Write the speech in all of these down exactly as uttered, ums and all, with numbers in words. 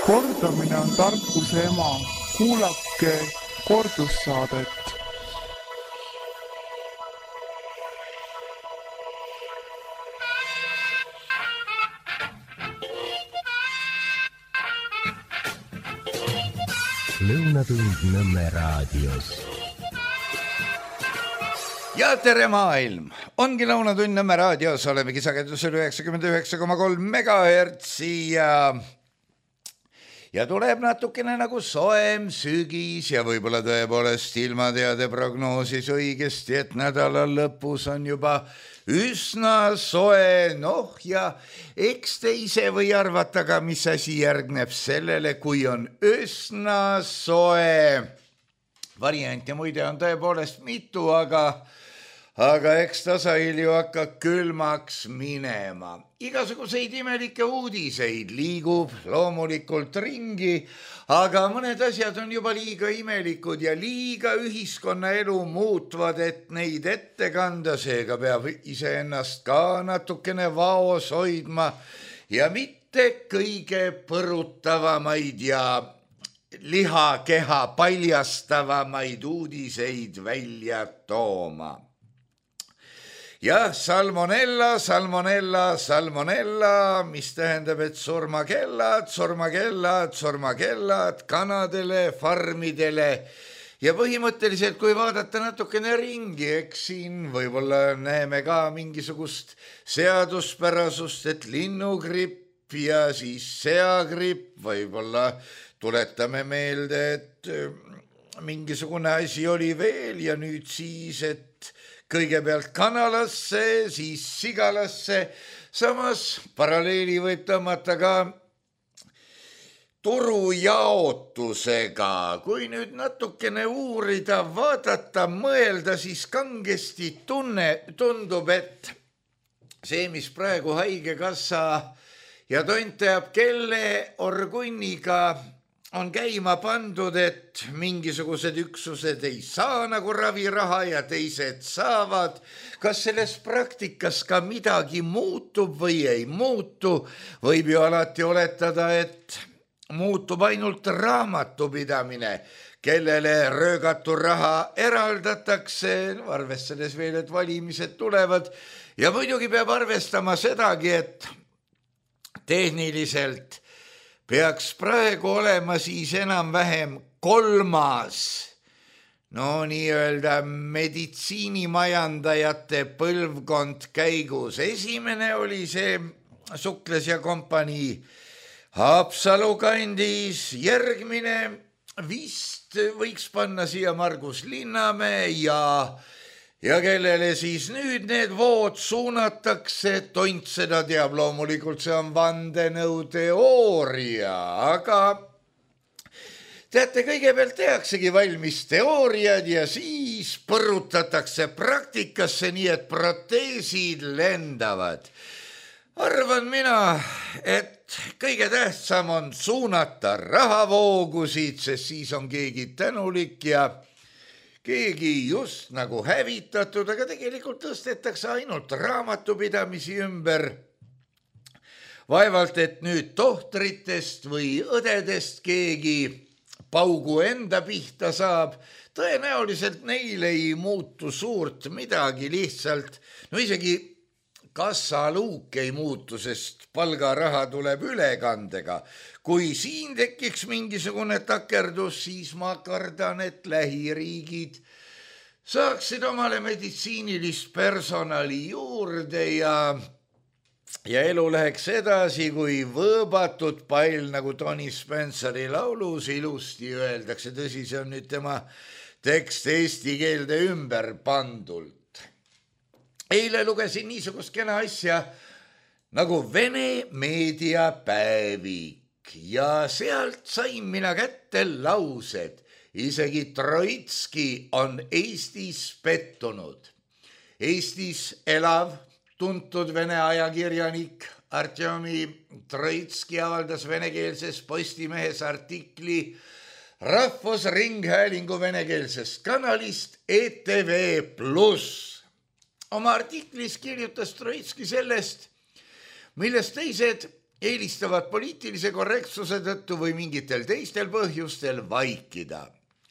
Kordamine on tarkuse ema. Kuulake kordussaadet. Lõunatund Nõmme raadios. Ja tere maailm! Ongi Lõunatund Nõmme raadios, olemegi sagedusel üheksakümmend üheksa koma kolm megahertsi ja ja tuleb natukene nagu soem sügis ja võib-olla tõepoolest ilmateade prognoosis õigesti, et nädala lõpus on juba üsna soe, noh ja eks te ise või arvata ka, mis asi järgneb sellele, kui on üsna soe. Variante muide on tõepoolest mitu, aga aga eks tasahilju hakkab külmaks minema. Igasuguseid imelikke uudiseid liigub loomulikult ringi, aga mõned asjad on juba liiga imelikud ja liiga ühiskonnaelu muutvad, et neid ette kanda, seega peab iseennast ka natukene vaos hoidma ja mitte kõige põrutavamaid ja lihakeha paljastavamaid uudiseid välja tooma. Jah, salmonella, salmonella, salmonella, mis tähendab, et surmakellad, surmakellad, surmakellad kanadele, farmidele ja põhimõtteliselt, kui vaadata natukene ringi, eks siin võib-olla näeme ka mingisugust seaduspärasust, et linnugripp ja siis seagripp, võib-olla tuletame meelde, et mingisugune asi oli veel ja nüüd siis, et kõigepealt kanalasse, siis sigalasse, samas paralleeli võib tõmmata ka turujaotusega. Kui nüüd natukene uurida, vaadata, mõelda, siis kangesti tunne, tundub, et see, mis praegu haigekassa ja tont teab kelle orgunniga on käima pandud, et mingisugused üksused ei saa nagu raviraha ja teised saavad. Kas selles praktikas ka midagi muutub või ei muutu? Võib ju alati oletada, et muutub ainult raamatupidamine, kellele röögatu raha eraldatakse, arvestades veel, et valimised tulevad. Ja muidugi peab arvestama sedagi, et tehniliselt peaks praegu olema siis enam-vähem kolmas, no nii-öelda meditsiinimajandajate põlvkond käigus. Esimene oli see Sukles ja kompanii Haapsalu kandis, järgmine vist võiks panna siia Margus Linnamäe ja Ja kellele siis nüüd need vood suunatakse, tont seda teab, loomulikult see on vandenõuteooria, aga teate, kõigepealt tehaksegi valmis teooriad ja siis põrutatakse praktikasse, nii et proteesid lendavad. Arvan mina, et kõige tähtsam on suunata rahavoogusid, sest siis on keegi tänulik ja keegi just nagu hävitatud, aga tegelikult tõstetakse ainult raamatupidamisi ümber. Vaevalt, et nüüd tohtritest või õdedest keegi paugu enda pihta saab. Tõenäoliselt neil ei muutu suurt midagi, lihtsalt, no isegi kassaluuk ei muutu, sest palgaraha tuleb ülekandega. Kui siin tekiks mingisugune takerdus, siis ma kardan, et lähiriigid saaksid omale meditsiinilist personali juurde ja, ja elu läheks edasi, kui võõbatud pall, nagu Tony Spenceri laulus ilusti öeldakse. Tõsi, see on nüüd tema tekst eesti keelde ümber pandult. Eile lugesin niisugust kena asja nagu Vene meediapäevik. Ja sealt sain mina kätte laused. Isegi Troitski on Eestis pettunud. Eestis elav, tuntud vene ajakirjanik Artjomi Troitski avaldas venekeelses Postimehes artikli Rahvusringhäälingu venekeelsest kanalist E T V pluss. Oma artiklis kirjutas Troitski sellest, millest teised eelistavad poliitilise korrektsuse tõttu või mingitel teistel põhjustel vaikida.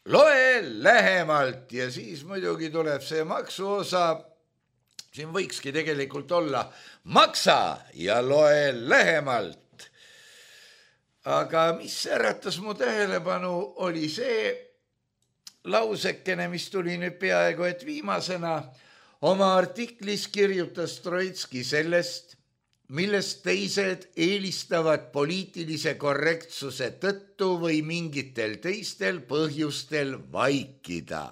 Loe lähemalt ja siis muidugi tuleb see maksuosa. Siin võikski tegelikult olla maksa ja loe lähemalt. Aga mis äratas mu tähelepanu oli see lausekene, mis tuli nüüd peaaegu et viimasena. Oma artiklis kirjutas Troitski sellest, millest teised eelistavad poliitilise korrektsuse tõttu või mingitel teistel põhjustel vaikida.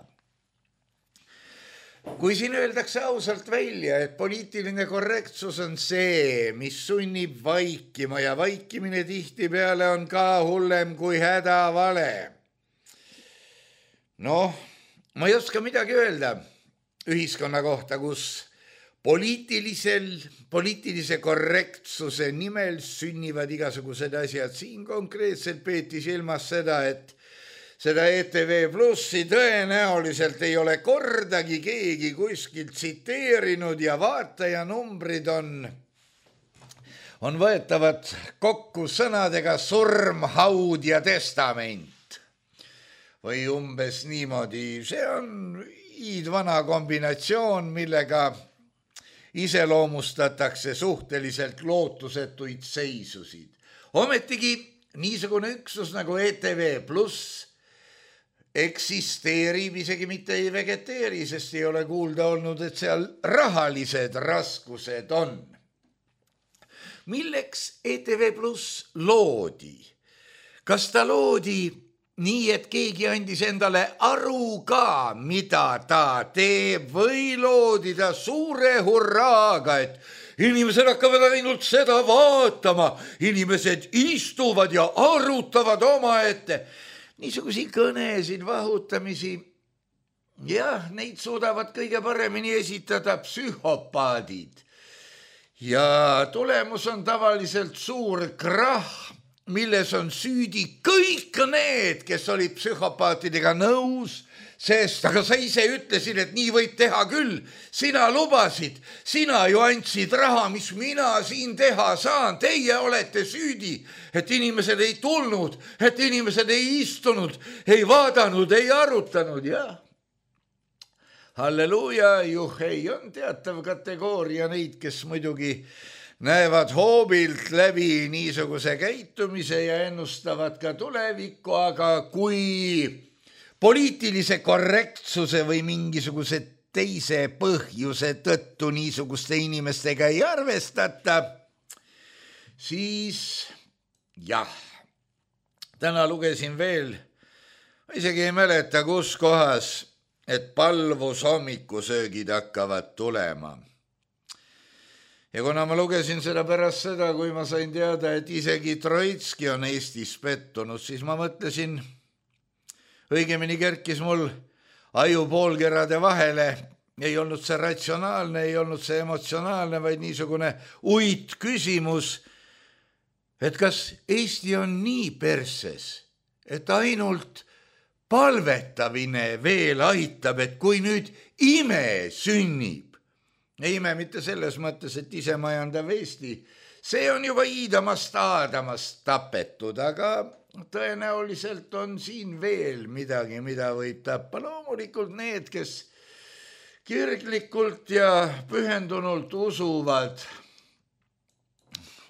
Kui siin öeldakse ausalt välja, et poliitiline korrektsus on see, mis sunnib vaikima ja vaikimine tihtipeale on ka hullem kui hädavale. Noh, ma ei oska midagi öelda ühiskonna kohta, kus poliitilisel, poliitilise korrektsuse nimel sünnivad igasugused asjad. Siin konkreetselt peeti silmas seda, et seda E T V Plussi tõenäoliselt ei ole kordagi keegi kuskilt tsiteerinud ja vaatajanumbrid on, on võetavad kokku sõnadega surm, haud ja testament. Või umbes niimoodi. See on iidvana kombinatsioon, millega iseloomustatakse suhteliselt lootusetuid seisusid. Ometigi niisugune üksus nagu E T V Pluss eksisteerib, isegi mitte ei vegeteeri, sest ei ole kuulda olnud, et seal rahalised raskused on. Milleks E T V Pluss loodi? Kas ta loodi nii, et keegi andis endale aru ka, mida ta teeb, või loodi ta suure hurraaga, et inimesed hakkavad ainult seda vaatama, inimesed istuvad ja arutavad omaette. Niisugusi kõnesid, vahutamisi, jah, neid suudavad kõige paremini esitada psühhopaadid. Ja tulemus on tavaliselt suur krahh, milles on süüdi kõik need, kes olid psühhopaatidega nõus, sest aga sa ise ütlesid, et nii võib teha küll. Sina lubasid, sina ju andsid raha, mis mina siin teha saan. Teie olete süüdi, et inimesed ei tulnud, et inimesed ei istunud, ei vaadanud, ei arutanud. Ja halleluuja, juhei, on teatav kategooria neid, kes muidugi näevad hoobilt läbi niisuguse käitumise ja ennustavad ka tulevikku, aga kui poliitilise korrektsuse või mingisuguse teise põhjuse tõttu niisuguste inimestega ei arvestata, siis jah, täna lugesin veel, isegi ei mäleta kus kohas, et palvus hommikusöögid hakkavad tulema. Ja kuna ma lugesin seda pärast seda, kui ma sain teada, et isegi Troitski on Eestis pettunud, siis ma mõtlesin, õigemini kerkis mul aju poolkerade vahele, ei olnud see ratsionaalne, ei olnud see emotsionaalne, vaid niisugune uit küsimus, et kas Eesti on nii perses, et ainult palvetamine veel aitab, et kui nüüd ime sünnib, ei ime mitte selles mõttes, et ise majandav Eesti, see on juba iidamast aadamast tapetud, aga tõenäoliselt on siin veel midagi, mida võib tappa. Loomulikult need, kes kirglikult ja pühendunult usuvad.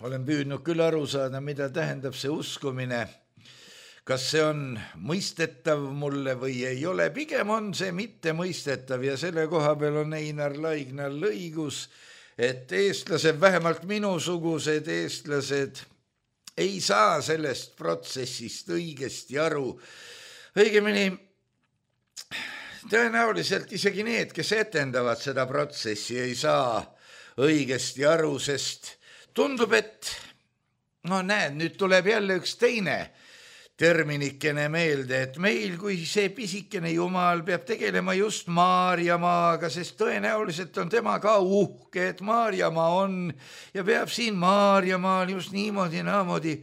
Olen püüdnud küll aru saada, mida tähendab see uskumine. Kas see on mõistetav mulle või ei ole? Pigem on see mitte mõistetav ja selle koha peal on Einar Laignal õigus, et eestlased, vähemalt minusugused eestlased, ei saa sellest protsessist õigesti aru. Õigemini, tõenäoliselt isegi need, kes etendavad seda protsessi, ei saa õigesti aru, sest tundub, et no näed, nüüd tuleb jälle üks teine terminikene meelde, et meil kui see pisikene jumal peab tegelema just Maarjamaaga, sest tõenäoliselt on tema ka uhke, et Maarjamaa on ja peab siin Maarjamaal just niimoodi naamoodi.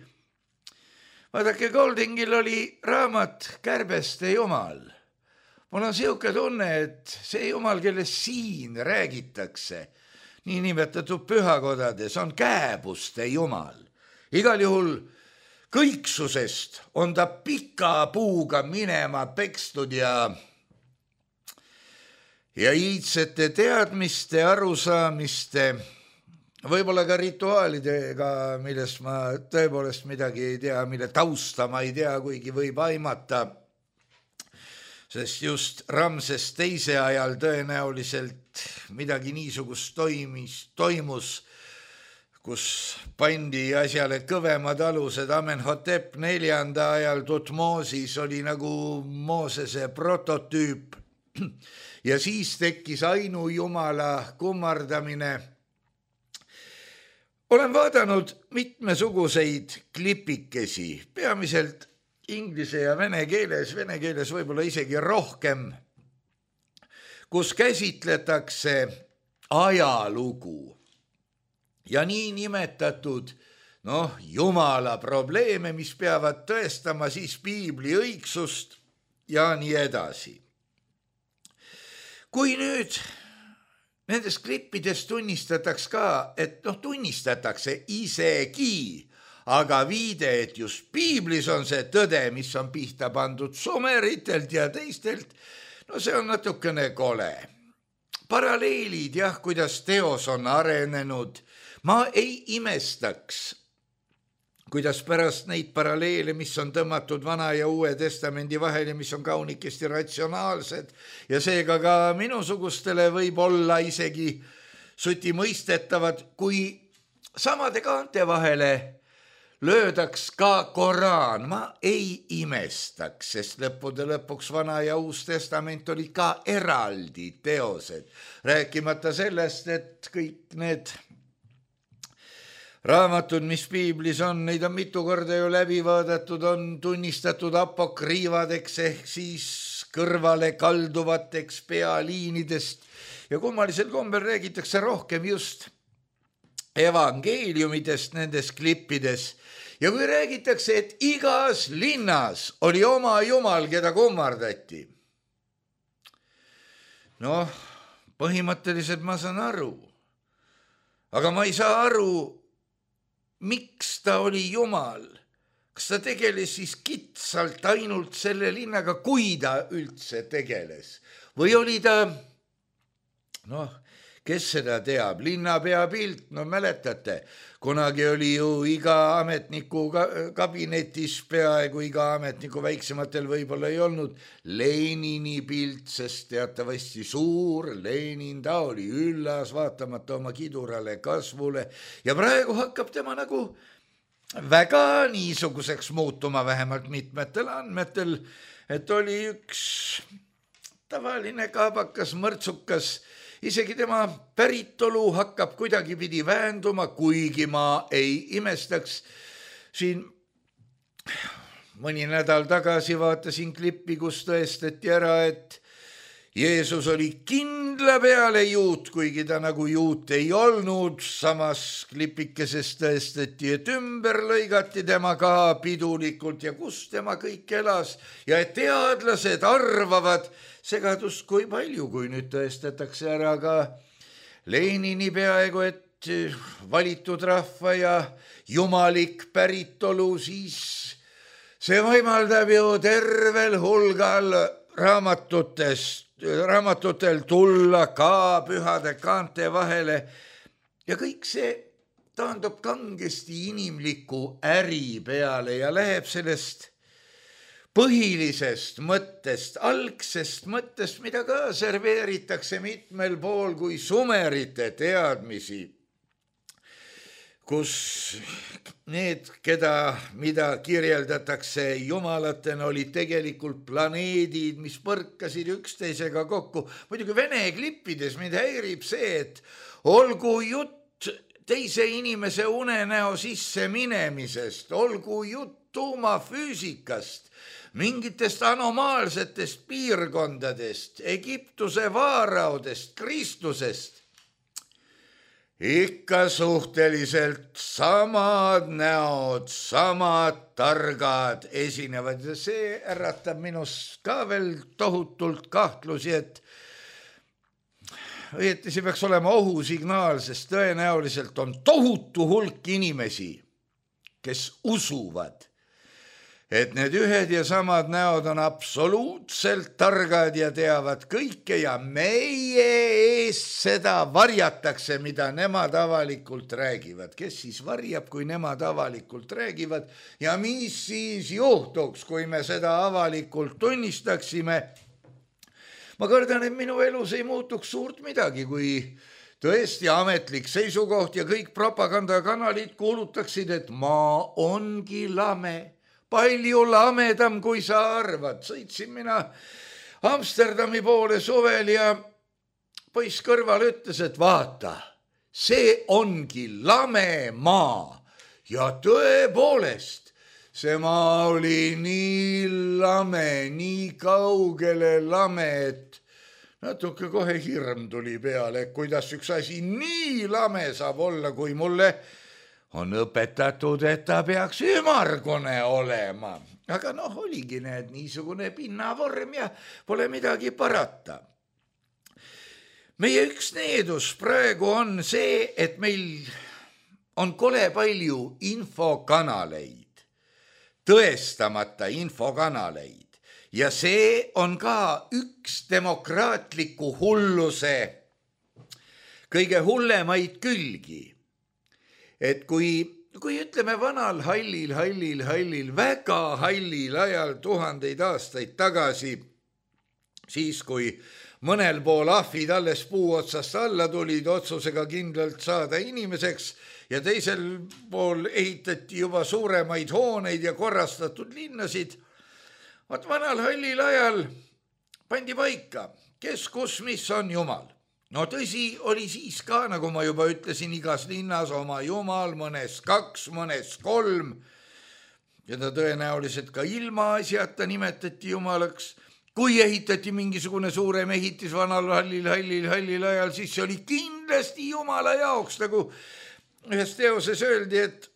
Vaadake, Goldingil oli raamat Kärbeste jumal. Mul on siuke tunne, et see jumal, kellest siin räägitakse, nii nimetatud pühakodades, on kääbuste jumal. igal juhul kõiksusest on ta pika puuga minema pekstud ja ja iidsete teadmiste, arusaamiste, võib-olla ka rituaalidega, millest ma tõepoolest midagi ei tea, mille tausta ma ei tea, kuigi võib aimata, sest just Ramses teise ajal tõenäoliselt midagi niisugust toimis, toimus, kus pandi asjale kõvemad alused. Amenhotep neljanda ajal Tutmosis oli nagu Moosese prototüüp ja siis tekkis ainujumala kummardamine. Olen vaadanud mitmesuguseid klipikesi, peamiselt inglise ja vene keeles, vene keeles võib-olla isegi rohkem, kus käsitletakse ajalugu ja nii nimetatud noh, jumala probleeme, mis peavad tõestama siis piibli õigsust ja nii edasi. Kui nüüd nendes klippides tunnistataks ka, et noh, tunnistatakse isegi, aga viide, et just piiblis on see tõde, mis on pihta pandud sumeritelt ja teistelt, no see on natukene kole. Paralleelid, jah, kuidas teos on arenenud, ma ei imestaks, kuidas pärast neid paralleele, mis on tõmmatud Vana ja Uue Testamendi vahel ja mis on kaunikesti ratsionaalsed ja seega ka minusugustele võib olla isegi suti mõistetavad, kui samade kaante vahele löödaks ka Koraan, ma ei imestaks, sest lõppude lõpuks Vana ja Uus Testament olid ka eraldi teosed, rääkimata sellest, et kõik need raamatud, mis piiblis on, neid on mitu korda ju läbi vaadatud, on tunnistatud apokriivadeks ehk siis kõrvale kalduvateks pealiinidest ja kummalisel kombel räägitakse rohkem just evangeeliumidest nendes klippides. Ja kui räägitakse, et igas linnas oli oma jumal, keda kummardati. Noh, põhimõtteliselt ma saan aru, aga ma ei saa aru, miks ta oli jumal? Kas ta tegeles siis kitsalt ainult selle linnaga, kui ta üldse tegeles? Või oli ta, noh, kes seda teab, linnapea pilt, no mäletate, kunagi oli ju iga ametniku kabinetis, peaaegu iga ametniku väiksematel võib-olla ei olnud Lenini pilt, sest teatavasti suur Lenin, ta oli üllas, vaatamata oma kidurale kasvule ja praegu hakkab tema nagu väga niisuguseks muutuma, vähemalt mitmetel andmetel, et oli üks tavaline kaabakas, mõrtsukas, isegi tema päritolu hakkab kuidagipidi väänduma, kuigi ma ei imestaks. Siin mõni nädal tagasi vaatasin klippi, kus tõestati ära, et Jeesus oli kindla peale juut, kuigi ta nagu juut ei olnud. Samas klipikeses tõestati, et ümber lõigati tema ka pidulikult ja kus tema kõik elas ja et teadlased arvavad, segadust kui palju, kui nüüd tõestatakse ära ka Lenini peaaegu, et valitud rahva ja jumalik päritolu, siis see võimaldab ju tervel hulgal raamatutest, raamatutel tulla ka pühade kaante vahele ja kõik see taandub kangesti inimliku äri peale ja läheb sellest põhilisest mõttest, algsest mõttest, mida ka serveeritakse mitmel pool kui sumerite teadmisi, kus need, keda, mida kirjeldatakse jumalatena, olid tegelikult planeedid, mis põrkasid üksteisega kokku. Muidugi vene klippides mind häirib see, et olgu jutt teise inimese unenäo sisse minemisest, olgu jutt tuumafüüsikast, mingitest anomaalsetest piirkondadest, Egiptuse vaaraudest, Kristusest. Ikka suhteliselt samad näod, samad targad esinevad ja see äratab minus ka veel tohutult kahtlusi, et õieti see peaks olema ohusignaal, sest tõenäoliselt on tohutu hulk inimesi, kes usuvad, et need ühed ja samad näod on absoluutselt targad ja teavad kõike ja meie eest seda varjatakse, mida nemad avalikult räägivad. Kes siis varjab, kui nemad avalikult räägivad ja mis siis juhtuks, kui me seda avalikult tunnistaksime? Ma kardan, et minu elus ei muutuks suurt midagi, kui tõesti ametlik seisukoht ja kõik propagandakanalid kuulutaksid, et maa ongi lame. Palju lamedam, kui sa arvad. Sõitsin mina Amsterdami poole suvel ja poiss kõrval ütles, et vaata, see ongi lame maa. Ja tõepoolest, see maa oli nii lame, nii kaugele lame, et natuke kohe hirm tuli peale, kuidas üks asi nii lame saab olla, kui mulle on õpetatud, et ta peaks ümargune olema. Aga noh, oligi need niisugune pinnavorm ja pole midagi parata. Meie üks needus praegu on see, et meil on kole palju infokanaleid, tõestamata infokanaleid. Ja see on ka üks demokraatliku hulluse kõige hullemaid külgi. Et kui, kui ütleme vanal hallil, hallil, hallil, väga hallil ajal tuhandeid aastaid tagasi, siis kui mõnel pool ahvid alles puu otsast alla tulid otsusega kindlalt saada inimeseks ja teisel pool ehitati juba suuremaid hooneid ja korrastatud linnasid, vaat vanal hallil ajal pandi paika, kes, kus, mis on Jumal. No tõsi, oli siis ka, nagu ma juba ütlesin, igas linnas oma Jumal, mõnes kaks, mõnes kolm. Ja ta tõenäoliselt ka ilmaasjata nimetati Jumalaks. Kui ehitati mingisugune suurem ehitis vanal hallil, hallil, hallil ajal, siis see oli kindlasti Jumala jaoks, nagu ühes teoses öeldi, et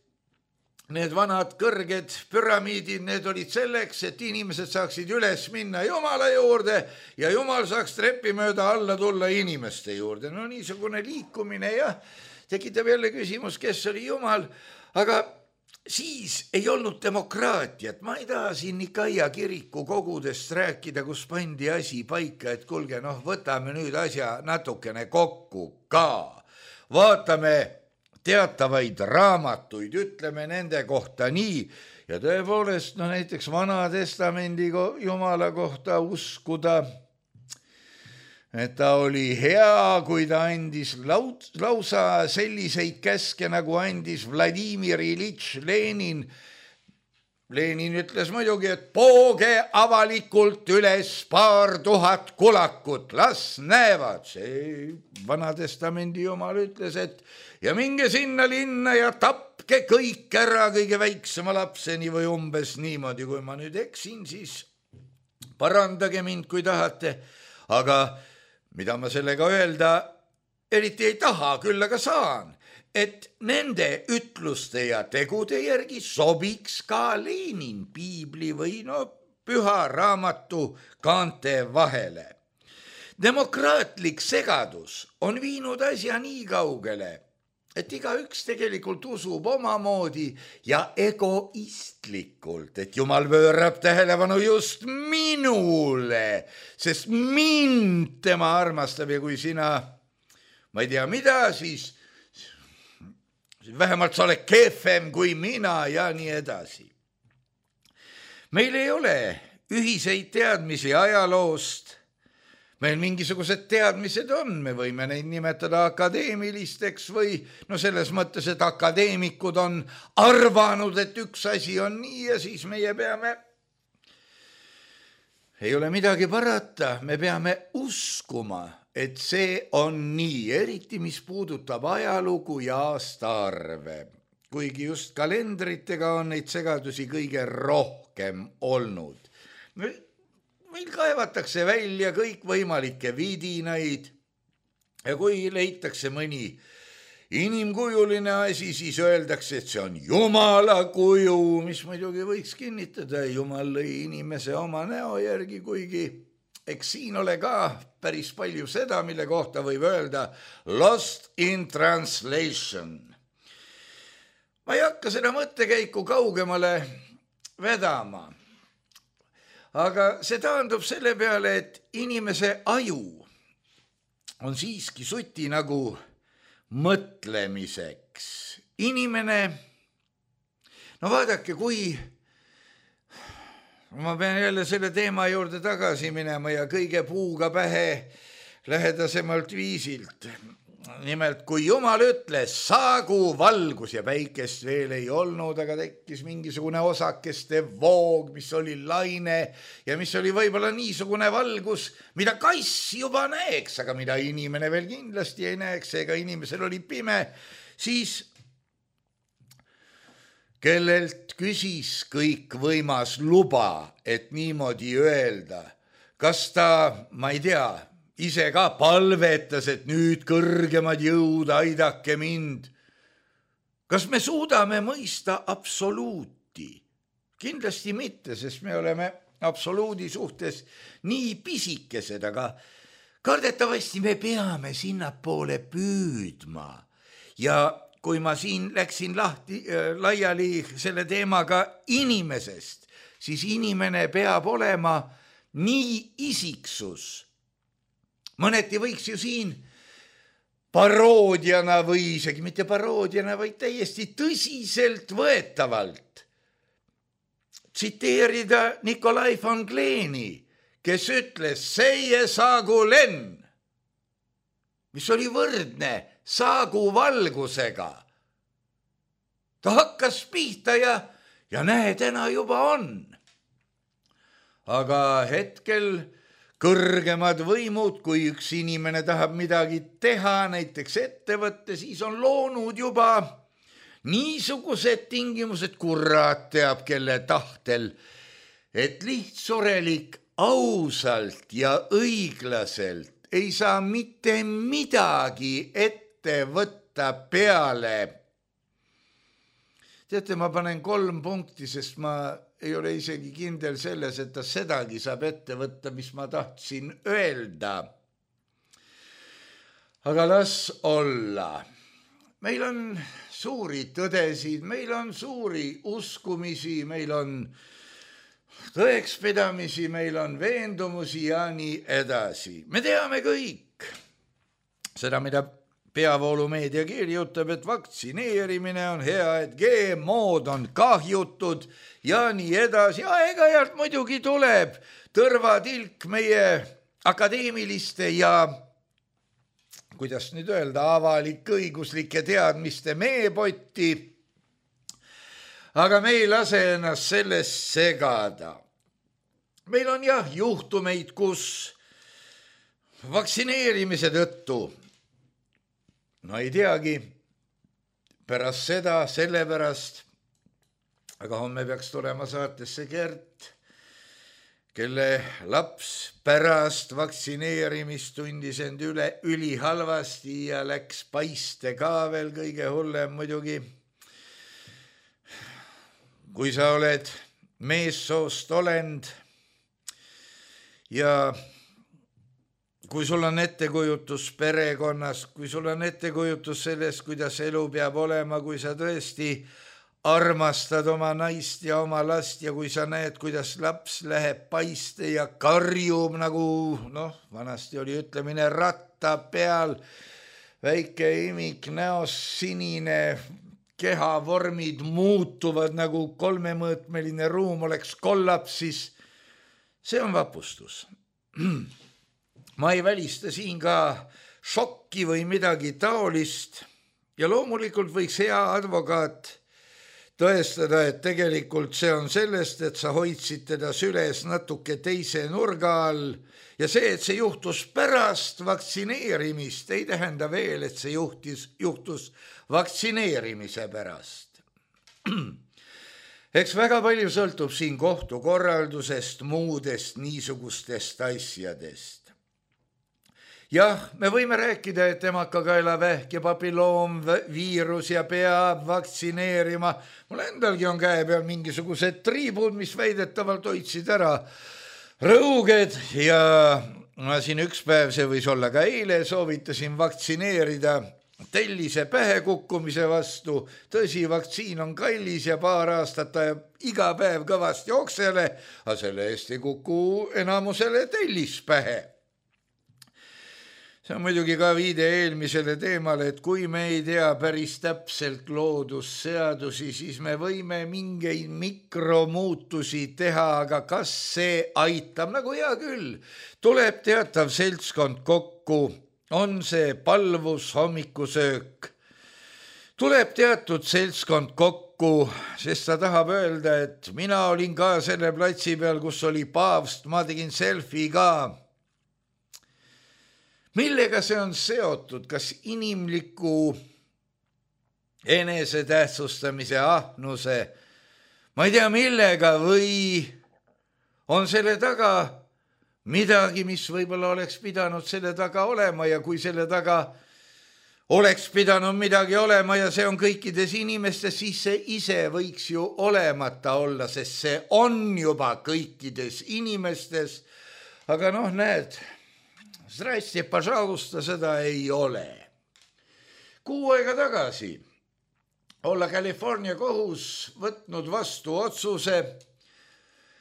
need vanad kõrged püramiidid, need olid selleks, et inimesed saaksid üles minna Jumala juurde ja Jumal saaks trepi mööda alla tulla inimeste juurde. No niisugune liikumine ja tekitab jälle küsimus, kes oli Jumal, aga siis ei olnud demokraatiat. Ma ei taha siin Nikaia kiriku kogudest rääkida, kus pandi asi paika, et kulge, noh, võtame nüüd asja natukene kokku ka. Vaatame teatavaid raamatuid, ütleme nende kohta nii ja tõepoolest, no näiteks Vana Testamendi Jumala kohta uskuda, et ta oli hea, kui ta andis lausa selliseid käske, nagu andis Vladimir Ilitš Lenin. Lenin ütles muidugi, et pooge avalikult üles paar tuhat kulakut, las näevad. See Vana Testamendi Jumal ütles, et ja minge sinna linna ja tapke kõik ära kõige väiksema lapseni või umbes niimoodi. Kui ma nüüd eksin, siis parandage mind, kui tahate. Aga mida ma sellega öelda eriti ei taha, küll aga saan, et nende ütluste ja tegude järgi sobiks ka Lenin piibli või no püha raamatu kaante vahele. Demokraatlik segadus on viinud asja nii kaugele, et igaüks tegelikult usub omamoodi ja egoistlikult, et Jumal pöörab tähelepanu just minule, sest mind tema armastab ja kui sina, ma ei tea mida, siis vähemalt sa oled kehvem kui mina ja nii edasi. Meil ei ole ühiseid teadmisi ajaloost. Meil mingisugused teadmised on, me võime neid nimetada akadeemilisteks või no selles mõttes, et akadeemikud on arvanud, et üks asi on nii ja siis meie peame, ei ole midagi parata, me peame uskuma, et see on nii, eriti mis puudutab ajalugu ja aastaarve. Kuigi just kalendritega on neid segadusi kõige rohkem olnud. Meil kaevatakse välja kõik võimalikke vidinaid ja kui leitakse mõni inimkujuline asi, siis öeldakse, et see on Jumala kuju, mis muidugi võiks kinnitada. Jumal lõi inimese oma näo järgi, kuigi eks siin ole ka päris palju seda, mille kohta võib öelda lost in translation. ma ei hakka seda mõttekäiku kaugemale vedama. Aga see taandub selle peale, et inimese aju on siiski suti nagu mõtlemiseks. Inimene, no vaadake, kui ma pean jälle selle teema juurde tagasi minema ja kõige puuga pähe lähedasemalt viisilt. Nimelt, kui Jumal ütles, saagu valgus ja päikest veel ei olnud, aga tekkis mingisugune osakeste voog, mis oli laine ja mis oli võib-olla niisugune valgus, mida kass juba näeks, aga mida inimene veel kindlasti ei näeks, ega inimesel oli pime, siis kellelt küsis kõik võimas luba, et niimoodi öelda, kas ta, ma ei tea, ise ka palvetas, et nüüd kõrgemad jõud, aidake mind. Kas me suudame mõista absoluuti? Kindlasti mitte, sest me oleme absoluudi suhtes nii pisikesed, aga kardetavasti me peame sinnapoole püüdma. Ja kui ma siin läksin lahti, laiali selle teemaga inimesest, siis inimene peab olema nii isiksus. Mõneti võiks ju siin paroodiana või isegi mitte paroodiana, vaid täiesti tõsiselt võetavalt tsiteerida Nikolai von Kleeni, kes ütles seie saagu lenn, mis oli võrdne saagu valgusega. Ta hakkas pihta ja, ja näe, täna juba on. Aga hetkel kõrgemad võimud, kui üks inimene tahab midagi teha, näiteks ettevõtte, siis on loonud juba niisugused tingimused, kurat teab kelle tahtel, et lihtsurelik ausalt ja õiglaselt ei saa mitte midagi ette võtta peale. Teate, ma panen kolm punkti, sest ma ei ole isegi kindel selles, et ta sedagi saab ette võtta, mis ma tahtsin öelda. Aga las olla. Meil on suuri tõdesid, meil on suuri uskumisi, meil on tõekspidamisi, meil on veendumusi ja nii edasi. Me teame kõik seda, mida peavoolumeedia kirjutab, et vaktsineerimine on hea, et G M O-d on kahjutud ja nii edasi. Ja ega-jalt muidugi tuleb tõrvatilk meie akadeemiliste ja, kuidas nüüd öelda, avalik-õiguslike teadmiste meepotti. Aga me ei lase ennast sellest segada. Meil on jah juhtumeid, kus vaktsineerimise tõttu, no ei teagi, pärast seda, sellepärast, aga homme peaks tulema saatesse Gert, kelle laps pärast vaktsineerimist tundis end üle üli halvasti ja läks paiste ka veel kõige hullem muidugi. Kui sa oled meessoost olend ja kui sul on ettekujutus perekonnast, kui sul on ettekujutus sellest, kuidas elu peab olema, kui sa tõesti armastad oma naist ja oma last ja kui sa näed, kuidas laps läheb paiste ja karjub nagu, noh, vanasti oli ütlemine ratta peal, väike imik näos, sinine, kehavormid muutuvad nagu kolmemõõtmeline ruum oleks kollapsis, see on vapustus. Ma ei välista siin ka šokki või midagi taolist ja loomulikult võiks hea advokaat tõestada, et tegelikult see on sellest, et sa hoidsid teda süles natuke teise nurga all ja see, et see juhtus pärast vaktsineerimist, ei tähenda veel, et see juhtis, juhtus vaktsineerimise pärast. Eks väga palju sõltub siin kohtukorraldusest, muudest niisugustest asjadest. Jah, me võime rääkida, et emakakaelavähk ja papilloom viirus ja peab vaktsineerima. Mul endalgi on käe peal mingisugused triibud, mis väidetavalt hoidsid ära rõuged ja ma siin üks päev, see võis olla ka eile, soovitasin vaktsineerida tellise pähe kukkumise vastu. Tõsi, vaktsiin on kallis ja paar aastat ta iga päev kõvasti oksele, aga selle eest ei kuku enamusele tellis pähe. See on muidugi ka viide eelmisele teemale, et kui me ei tea päris täpselt loodusseadusi, siis me võime mingeid mikromuutusi teha, aga kas see aitab? Nagu hea küll, tuleb teatav seltskond kokku, on see palvus hommikusöök. Tuleb teatud seltskond kokku, sest ta tahab öelda, et mina olin ka selle platsi peal, kus oli paavst, ma tegin selfie ka. Millega see on seotud, kas inimliku enesetähtsustamise ahnuse, ma ei tea millega, või on selle taga midagi, mis võib-olla oleks pidanud selle taga olema ja kui selle taga oleks pidanud midagi olema ja see on kõikides inimestes, siis see ise võiks ju olemata olla, sest see on juba kõikides inimestes, aga noh, näed, Zdrasti, pažalusta, seda ei ole. Kuu aega tagasi olla California kohus võtnud vastu otsuse,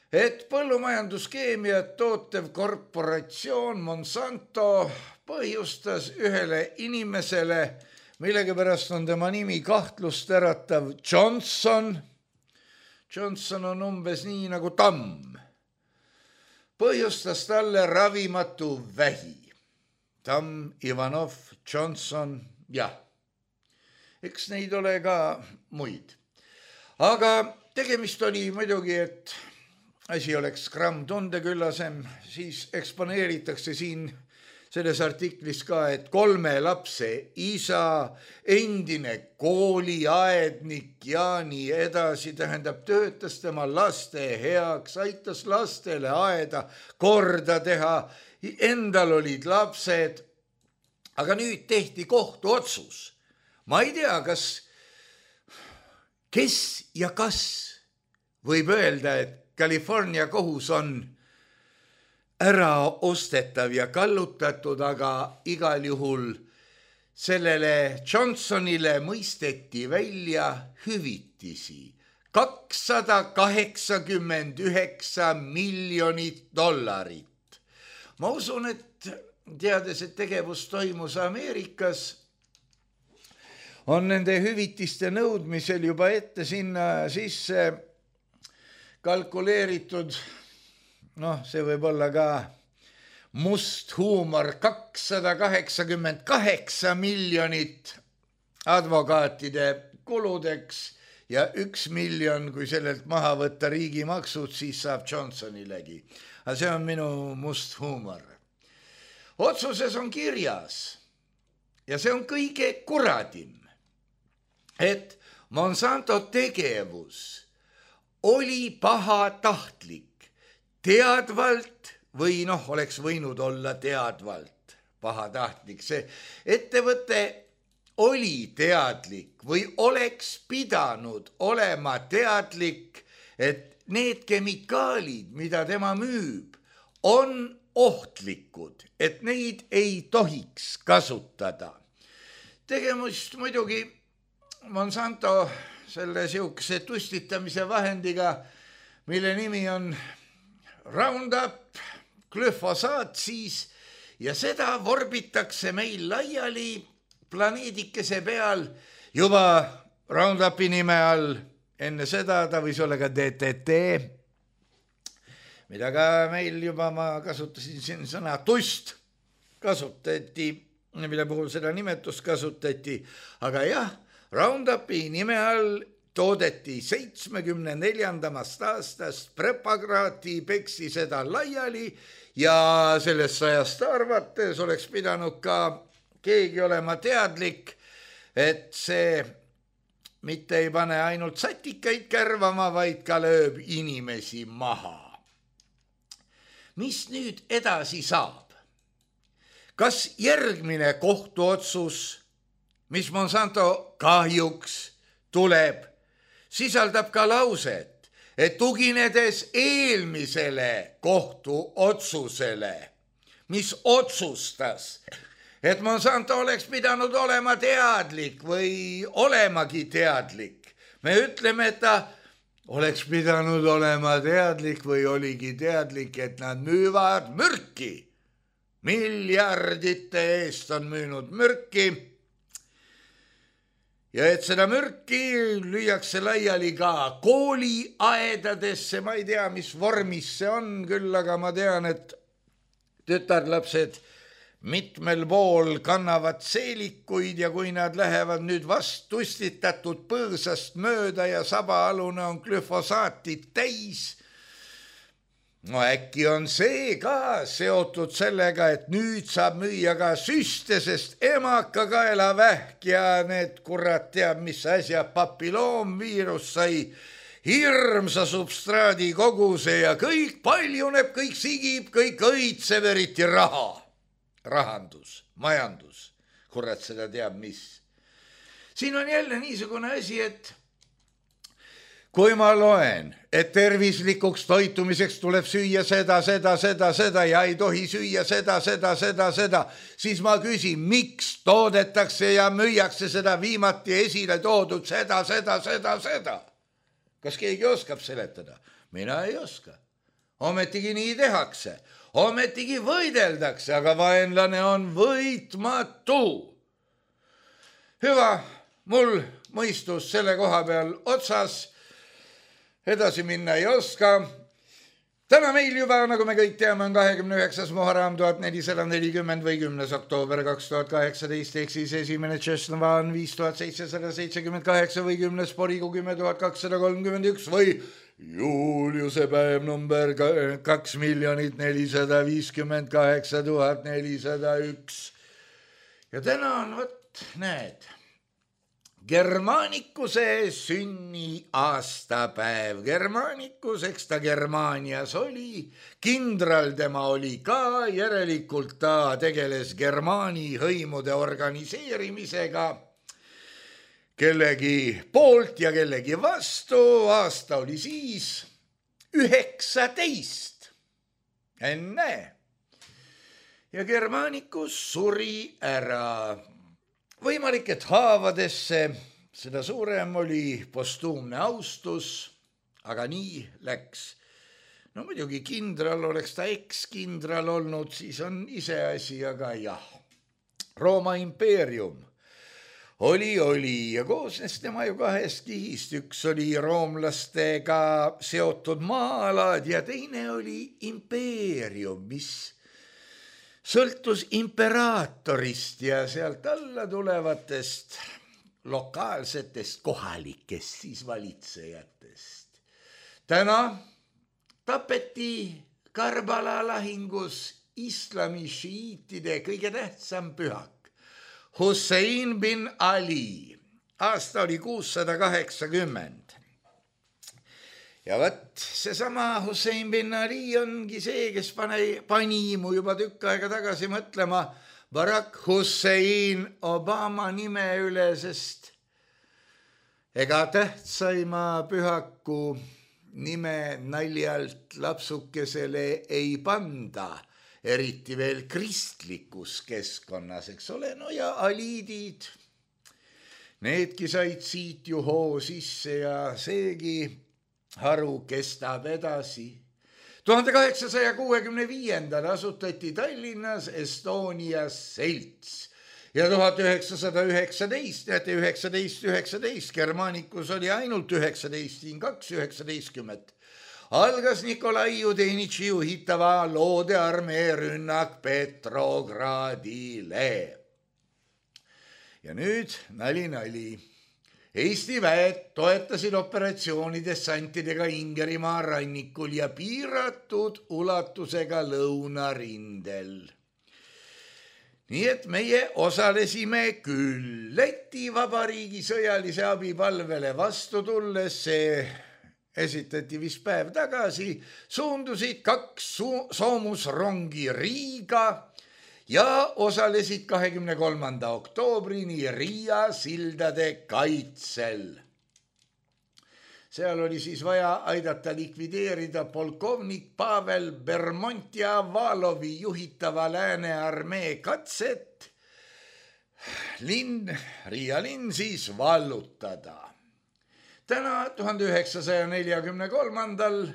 et põllumajanduskeemiat tootev korporatsioon Monsanto põhjustas ühele inimesele, millegipärast on tema nimi kahtlust äratav Johnson. Johnson on umbes nii nagu tamm. Põhjustas talle ravimatu vähi. Tamm, Ivanov, Johnson, jah. Eks neid ole ka muid. Aga tegemist oli muidugi, et asi oleks gramm tundeküllasem, siis eksponeeritakse siin selles artiklis ka, et kolme lapse isa, endine kooliaednik ja nii edasi, tähendab, töötas tema laste heaks, aitas lastele aeda korda teha, endal olid lapsed, aga nüüd tehti kohtuotsus. Ma ei tea, kas, kes ja kas võib öelda, et California kohus on ära ostetav ja kallutatud, aga igal juhul sellele Johnsonile mõisteti välja hüvitisi. kakssada kaheksakümmend üheksa miljonit dollarit. Ma usun, et teades, et tegevus toimus Ameerikas, on nende hüvitiste nõudmisel juba ette sinna sisse kalkuleeritud, noh, see võib olla ka must huumor, kakssada kaheksakümmend kaheksa miljonit advokaatide kuludeks ja üks miljon, kui sellelt maha võtta riigi maksud, siis saab Johnsonilegi. Aga see on minu must huumor. Otsuses on kirjas, ja see on kõige kuradim, et Monsanto tegevus oli pahatahtlik, teadvalt või noh, oleks võinud olla teadvalt pahatahtlik. See ettevõte oli teadlik või oleks pidanud olema teadlik, et need kemikaalid, mida tema müüb, on ohtlikud, et neid ei tohiks kasutada. Tegemist muidugi Monsanto selle siukse tustitamise vahendiga, mille nimi on Roundup, glüfosaat siis, ja seda vorbitakse meil laiali planeedikese peal juba Roundupi nime all. Enne seda ta võis olla ka D D T, mida ka meil juba ma kasutasin siin sõna tust, kasutati, mille puhul seda nimetust kasutati, aga jah, Roundupi nime all toodeti seitsmekümne neljandast aastast preparaati, peksi seda laiali ja sellest sajast arvates oleks pidanud ka keegi olema teadlik, et see mitte ei pane ainult satikaid kärvama, vaid ka lööb inimesi maha. Mis nüüd edasi saab? Kas järgmine kohtuotsus, mis Monsanto kahjuks tuleb, sisaldab ka lauset, et tuginedes eelmisele kohtuotsusele, mis otsustas, et Monsanto oleks pidanud olema teadlik või olemagi teadlik. Me ütleme, et ta oleks pidanud olema teadlik või oligi teadlik, et nad müüvad mürki. Miljardite eest on müünud mürki. Ja et seda mürki lüüakse laiali ka kooliaedadesse, ma ei tea, mis vormis see on küll, aga ma tean, et tütarlapsed mitmel pool kannavad seelikuid ja kui nad lähevad nüüd vast tustitatud põõsast mööda ja sabaalune on glüfosaatit täis, no äkki on see ka seotud sellega, et nüüd saab müüa ka süste, sest emakakaelavähk ja need kurat teab, mis asja papilloomviirus sai hirmsa substraadi koguse ja kõik paljuneb, kõik sigib, kõik õitseb, eriti raha. Rahandus, majandus, kurat seda teab mis. Siin on jälle niisugune asi, et kui ma loen, et tervislikuks toitumiseks tuleb süüa seda, seda, seda, seda ja ei tohi süüa seda, seda, seda, seda, siis ma küsin, miks toodetakse ja müüakse seda viimati esile toodud seda, seda, seda, seda. Kas keegi oskab seletada? Mina ei oska. Ometigi nii tehakse. Ometigi võideldakse, aga vaenlane on võitmatu. Hüva, mul mõistus selle koha peal otsas, edasi minna ei oska. Täna meil juba, nagu me kõik teame, on kahekümne üheksas Muharram tuhat nelisada nelikümmend või kümnes oktoober kaks tuhat kaheksateist, ehk siis esimene Tšesnavan viis tuhat seitsesada seitsekümmend kaheksa või kümnes Porigu kümme tuhat kakssada kolmkümmend üks või Juliuse päev number kaks miljonit nelisada viiskümmend kaheksa tuhat nelisada üks. Ja täna on, võt, näed, Germanikuse sünni aastapäev. Germanikus, eks ta Germaanias oli, kindral tema oli ka, järelikult ta tegeles Germaani hõimude organiseerimisega kellegi poolt ja kellegi vastu. Aasta oli siis üheksateist. Enne. Ja Germanicus suri ära. Võimalik, et haavadesse seda suurem oli postuumne austus, aga nii läks. No muidugi kindral oleks ta ekskindral olnud, siis on iseasi, aga jah. Rooma impeerium oli, oli ja koosnes tema ju kahest kihist. Üks oli roomlastega seotud maa-alad ja teine oli impeerium, mis sõltus imperaatorist ja sealt alla tulevatest lokaalsetest kohalikest siis valitsejatest. Täna tapeti Karbala lahingus islami šiitide kõige tähtsam pühak, Hussein bin Ali. Aasta oli kuussada kaheksakümmend. Ja võt, seesama Hussein bin Ali ongi see, kes pani, pani mu juba tükk aega tagasi mõtlema Barack Hussein Obama nime üle, sest ega tähtsaima pühaku nime naljalt lapsukesele ei panda, eriti veel kristlikus keskkonnas, eks ole, no ja aliidid, needki said siit ju hoo sisse ja seegi haru kestab edasi. tuhande kaheksasaja kuuekümne viiendal asutati Tallinnas Estonia selts ja tuhat üheksasada üheksateist, näete üheksateist, üheksateist, Germanicus oli ainult üheksateist, siin kaks üheksateistkümmet. Algas Nikolai Judenitši juhitava loodearmee rünnak Petrogradile. Ja nüüd nali nali. Eesti väed toetasid operatsiooni dessantidega Ingerimaa rannikul ja piiratud ulatusega lõunarindel. Nii et meie osalesime küll. Läti Vabariigi sõjalise abipalvele vastu tulles, see esitati vist päev tagasi, suundusid kaks soomusrongi Riiga ja osalesid kahekümne kolmanda oktoobrini Riia sildade kaitsel. Seal oli siis vaja aidata likvideerida polkovnik Pavel Bermontia Valovi juhitava Lääne armee katset linn, Riia linn siis vallutada. Täna tuhande üheksasaja neljakümne kolmandal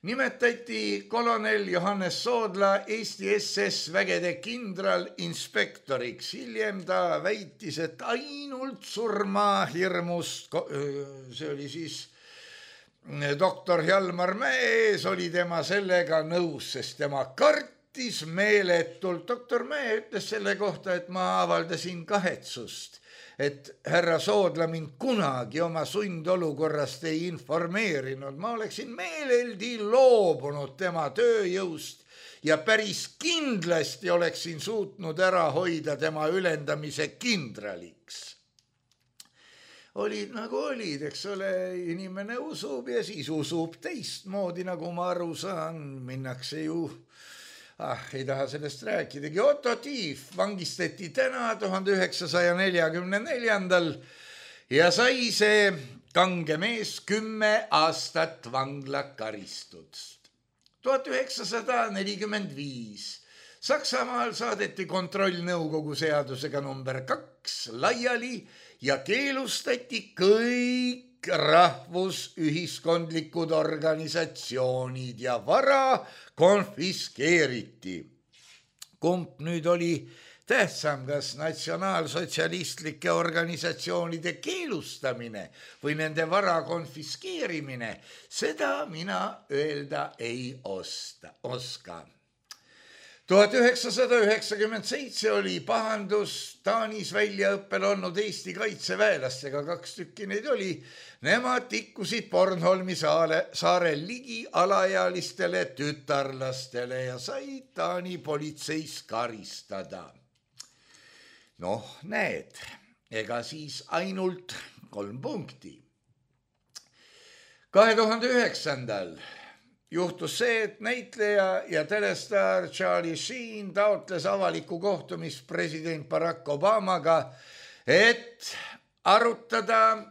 nimetati kolonel Johannes Soodla Eesti S S vägede kindralinspektoriks. Hiljem ta väitis, et ainult surma hirmust, see oli siis doktor Hjalmar Mäes, oli tema sellega nõus, sest tema kartis meeletult. doktor Mäe ütles selle kohta, et ma avaldasin kahetsust, et härra Soodla mind kunagi oma sundolukorrast ei informeerinud. Ma oleksin meeleldi loobunud tema tööjõust ja päris kindlasti oleksin suutnud ära hoida tema ülendamise kindraliks. Olid nagu olid, eks ole, inimene usub ja siis usub teistmoodi, nagu ma aru saan, minnakse ju... Ah, ei taha sellest rääkidagi. Otto Tief vangistati täna tuhande üheksasaja neljakümne neljandal ja sai see kange mees kümme aastat vanglakaristust. tuhat üheksasada nelikümmend viis Saksamaal saadeti kontrollnõukogu seadusega number kaks laiali ja keelustati kõik rahvusühiskondlikud organisatsioonid ja vara konfiskeeriti. Kumb nüüd oli tähtsam, kas natsionaalsotsialistlike organisatsioonide keelustamine või nende vara konfiskeerimine, seda mina öelda ei osta, oska. tuhat üheksasada üheksakümmend seitse oli pahandus Taanis väljaõppel olnud Eesti kaitseväelastega, kaks tükki neid oli. Nemad tikkusid Bornholmi saare, saarel ligi alaealistele tütarlastele ja said Taani politseis karistada. Noh, näed, ega siis ainult kolm punkti. kahe tuhande üheksandal juhtus see, et näitleja ja telestaar Charlie Sheen taotles avalikku kohtumist president Barack Obamaga, et arutada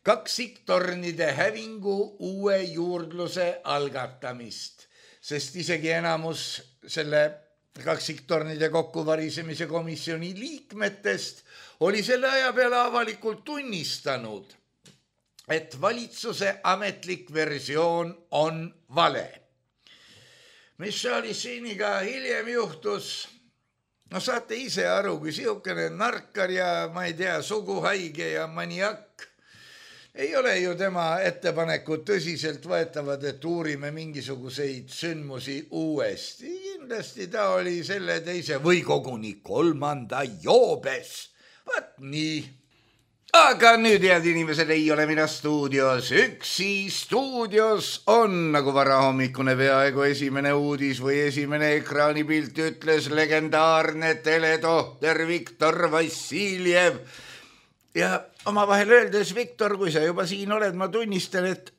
kaksiktornide hävingu uue juurdluse algatamist, sest isegi enamus selle kaksiktornide kokkuvarisemise komisjoni liikmetest oli selle aja peale avalikult tunnistanud, et valitsuse ametlik versioon on vale. Mis Charlie Sheeniga hiljem juhtus, no saate ise aru, kui siukene narkar ja ma ei tea, suguhaige ja maniak, ei ole ju tema ettepanekud tõsiselt võetavad, et uurime mingisuguseid sündmusi uuesti. Kindlasti ta oli selle teise või koguni kolmanda joobes. Vaat nii. Aga nüüd, head inimesed, ei ole mina stuudios. Üksi stuudios on, nagu varahommikune peaaegu esimene uudis või esimene ekraanipilt ütles, legendaarne teletohter Viktor Vassiljev. Ja omavahel öeldes, Viktor, kui sa juba siin oled, ma tunnistan, et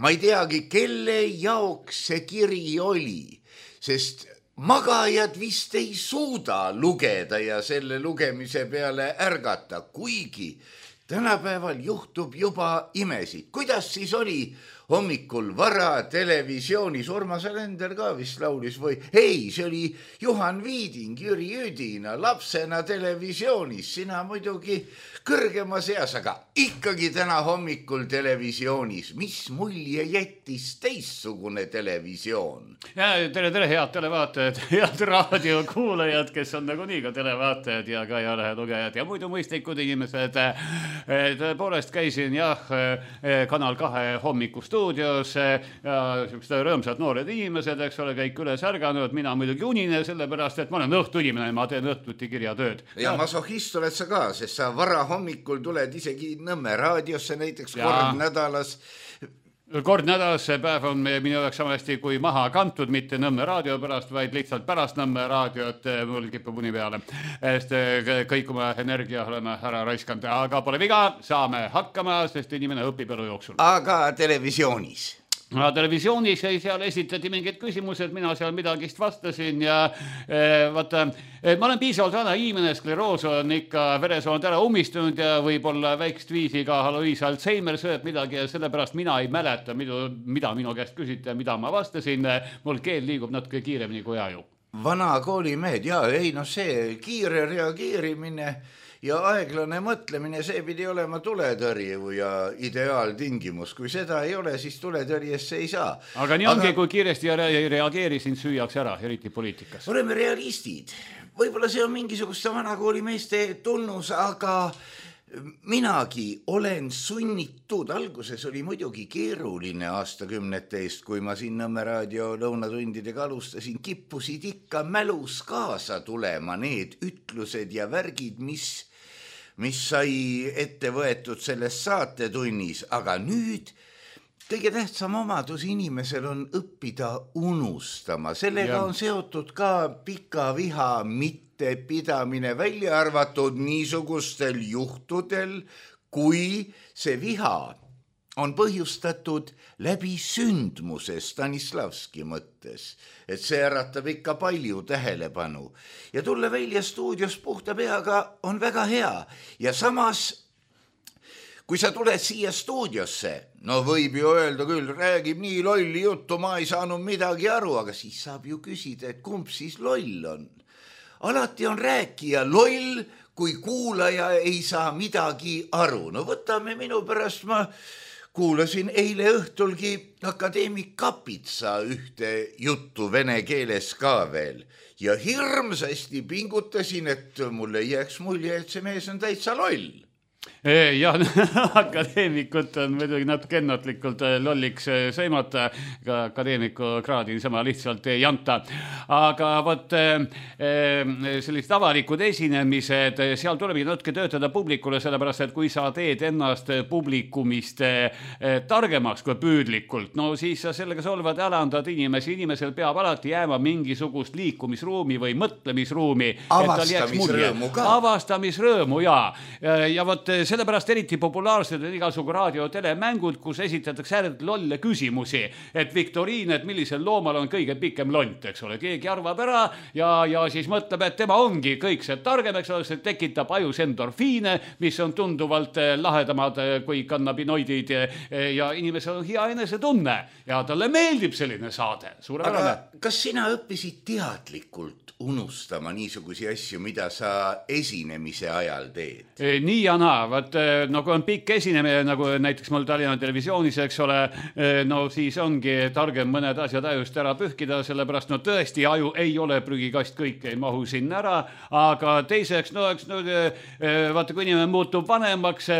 ma ei teagi, kelle jaoks see kiri oli, sest magajad vist ei suuda lugeda ja selle lugemise peale ärgata, kuigi tänapäeval juhtub juba imesid. Kuidas siis oli hommikul vara televisioonis? Urmas Alender ka vist laulis või? Ei, see oli Juhan Viiding, Jüri Üdina lapsena televisioonis. Sina muidugi kõrgemas eas, aga ikkagi täna hommikul televisioonis. Mis mulje jättis teistsugune televisioon? Ja, tere, tere, head televaatajad, head raadiokuulajad, kes on nagu nii ka televaatajad ja ka ajalehe lugejad ja muidu mõistlikud inimesed. Tõepoolest käisin jah Kanal kahe hommikustuudios ja rõõmsad noored inimesed, eks ole, kõik üles ärganud. Mina muidugi unine, sellepärast, et ma olen õhtuinimene, ma teen õhtuti kirjatööd. Ja, ja masohist oled sa ka, sest sa vara hommikul tuled isegi Nõmme raadiosse näiteks ja kord nädalas. Kord nädalas see päev on minu jaoks samasti kui maha kantud, mitte Nõmme raadio pärast, vaid lihtsalt pärast Nõmme raadiot mul kipub uni peale. Sest kõik oma energia oleme ära raiskanud, aga pole viga, saame hakkama, sest inimene õpib elu jooksul. Aga televisioonis? No, televisioonis seal esitati mingid küsimused, mina seal midagist vastasin ja e, vaata, e, ma olen piisavalt vana inimene, skleroos on ikka veresooned ära ummistunud ja võib-olla väikest viisi ka Alois Alzheimer sööb midagi ja sellepärast mina ei mäleta, mida, mida minu käest küsiti ja mida ma vastasin. Mul keel liigub natuke kiiremini kui aju. vana koolimehed, jaa, ei no see kiire reageerimine ja aeglane mõtlemine, see pidi olema tuletõrju ja ideaaltingimus. Kui seda ei ole, siis tuletõrjesse ei saa. Aga nii ongi, Aga... kui kiiresti ei reageeri, sind süüaks ära, eriti poliitikas. Oleme realistid. Võib-olla see on mingisuguste vanakoolimeeste tunnus, aga minagi olen sunnitud, alguses oli muidugi keeruline aastakümnete eest, kui ma siin Nõmme raadio lõunatundidega alustasin, kippusid ikka mälus kaasa tulema need ütlused ja värgid, mis, mis sai ette võetud selles saatetunnis, aga nüüd kõige tähtsam omadus inimesel on õppida unustama. Sellega ja. on seotud ka pika viha mitte pidamine, välja arvatud niisugustel juhtudel, kui see viha on põhjustatud läbi sündmuse Stanislavski mõttes, et see äratab ikka palju tähelepanu. Ja tulla välja stuudios puhta peaga on väga hea ja samas kui sa tuled siia stuudiosse, no võib ju öelda küll, räägib nii lolli juttu, ma ei saanud midagi aru, aga siis saab ju küsida, et kumb siis loll on. Alati on rääkija loll, kui kuulaja ei saa midagi aru. No võtame minu pärast, ma kuulasin eile õhtulgi akadeemik Kapitsa ühte juttu vene keeles ka veel. Ja hirmsasti pingutasin, et mulle jääks mulje, et see mees on täitsa loll. Ja akadeemikut on muidugi natuke ennatlikult lolliks sõimata, ka akadeemiku kraadi sama lihtsalt ei anta. Aga võt sellised avalikud esinemised, seal tuleb natuke töötada publikule, sellepärast, et kui sa teed ennast publikumist targemaks kui püüdlikult, no siis sa sellega solvad ja alandad inimesi. Inimesel peab alati jääma mingisugust liikumisruumi või mõtlemisruumi. Avastamisrõõmu ka. Avastamisrõõmu, jaa. Ja võt sellepärast eriti populaarsed on igasugu raadio- telemängud, kus esitatakse ääretult lolle küsimusi, et viktoriin, et millisel loomal on kõige pikem lont, eks ole. Keegi arvab ära ja, ja siis mõtleb, et tema ongi kõik see targem, eks ole, see tekitab ajus endorfiine, mis on tunduvalt lahedamad kui kannabinoidid ja inimesel on hea enesetunne ja talle meeldib selline saade. Suurepärane. Aga kas sina õppisid teadlikult unustama niisugusi asju, mida sa esinemise ajal teed? Nii ja naa, vaat no kui on pikk esinemine, nagu näiteks mul Tallinna Televisioonis, eks ole, no siis ongi targem mõned asjad ajust ära pühkida, sellepärast no tõesti aju ei ole prügikast, kõik ei mahu sinna ära, aga teiseks, no eks no, vaata, kui inimene muutub vanemaks,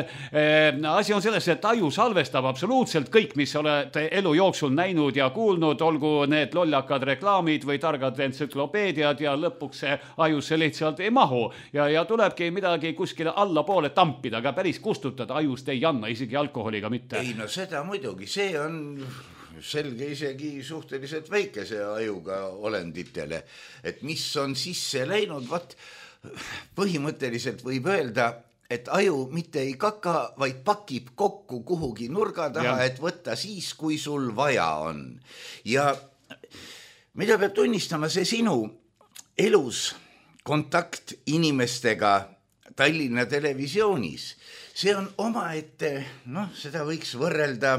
asi on selles, et aju salvestab absoluutselt kõik, mis oled elu jooksul näinud ja kuulnud, olgu need lollakad reklaamid või targad entsüklopeediad ja lõpuks see ajusse lihtsalt ei mahu ja, ja tulebki midagi kuskile alla poole tampida, aga päris kustutada ajust ei anna, isegi alkoholiga mitte. Ei, no seda muidugi, see on selge isegi suhteliselt väikese ajuga olenditele, et mis on sisse läinud, vat põhimõtteliselt võib öelda, et aju mitte ei kaka, vaid pakib kokku kuhugi nurga taha, ja. Et võtta siis, kui sul vaja on. Ja mida peab tunnistama, see sinu elus kontakt inimestega Tallinna Televisioonis, see on omaette, noh, seda võiks võrrelda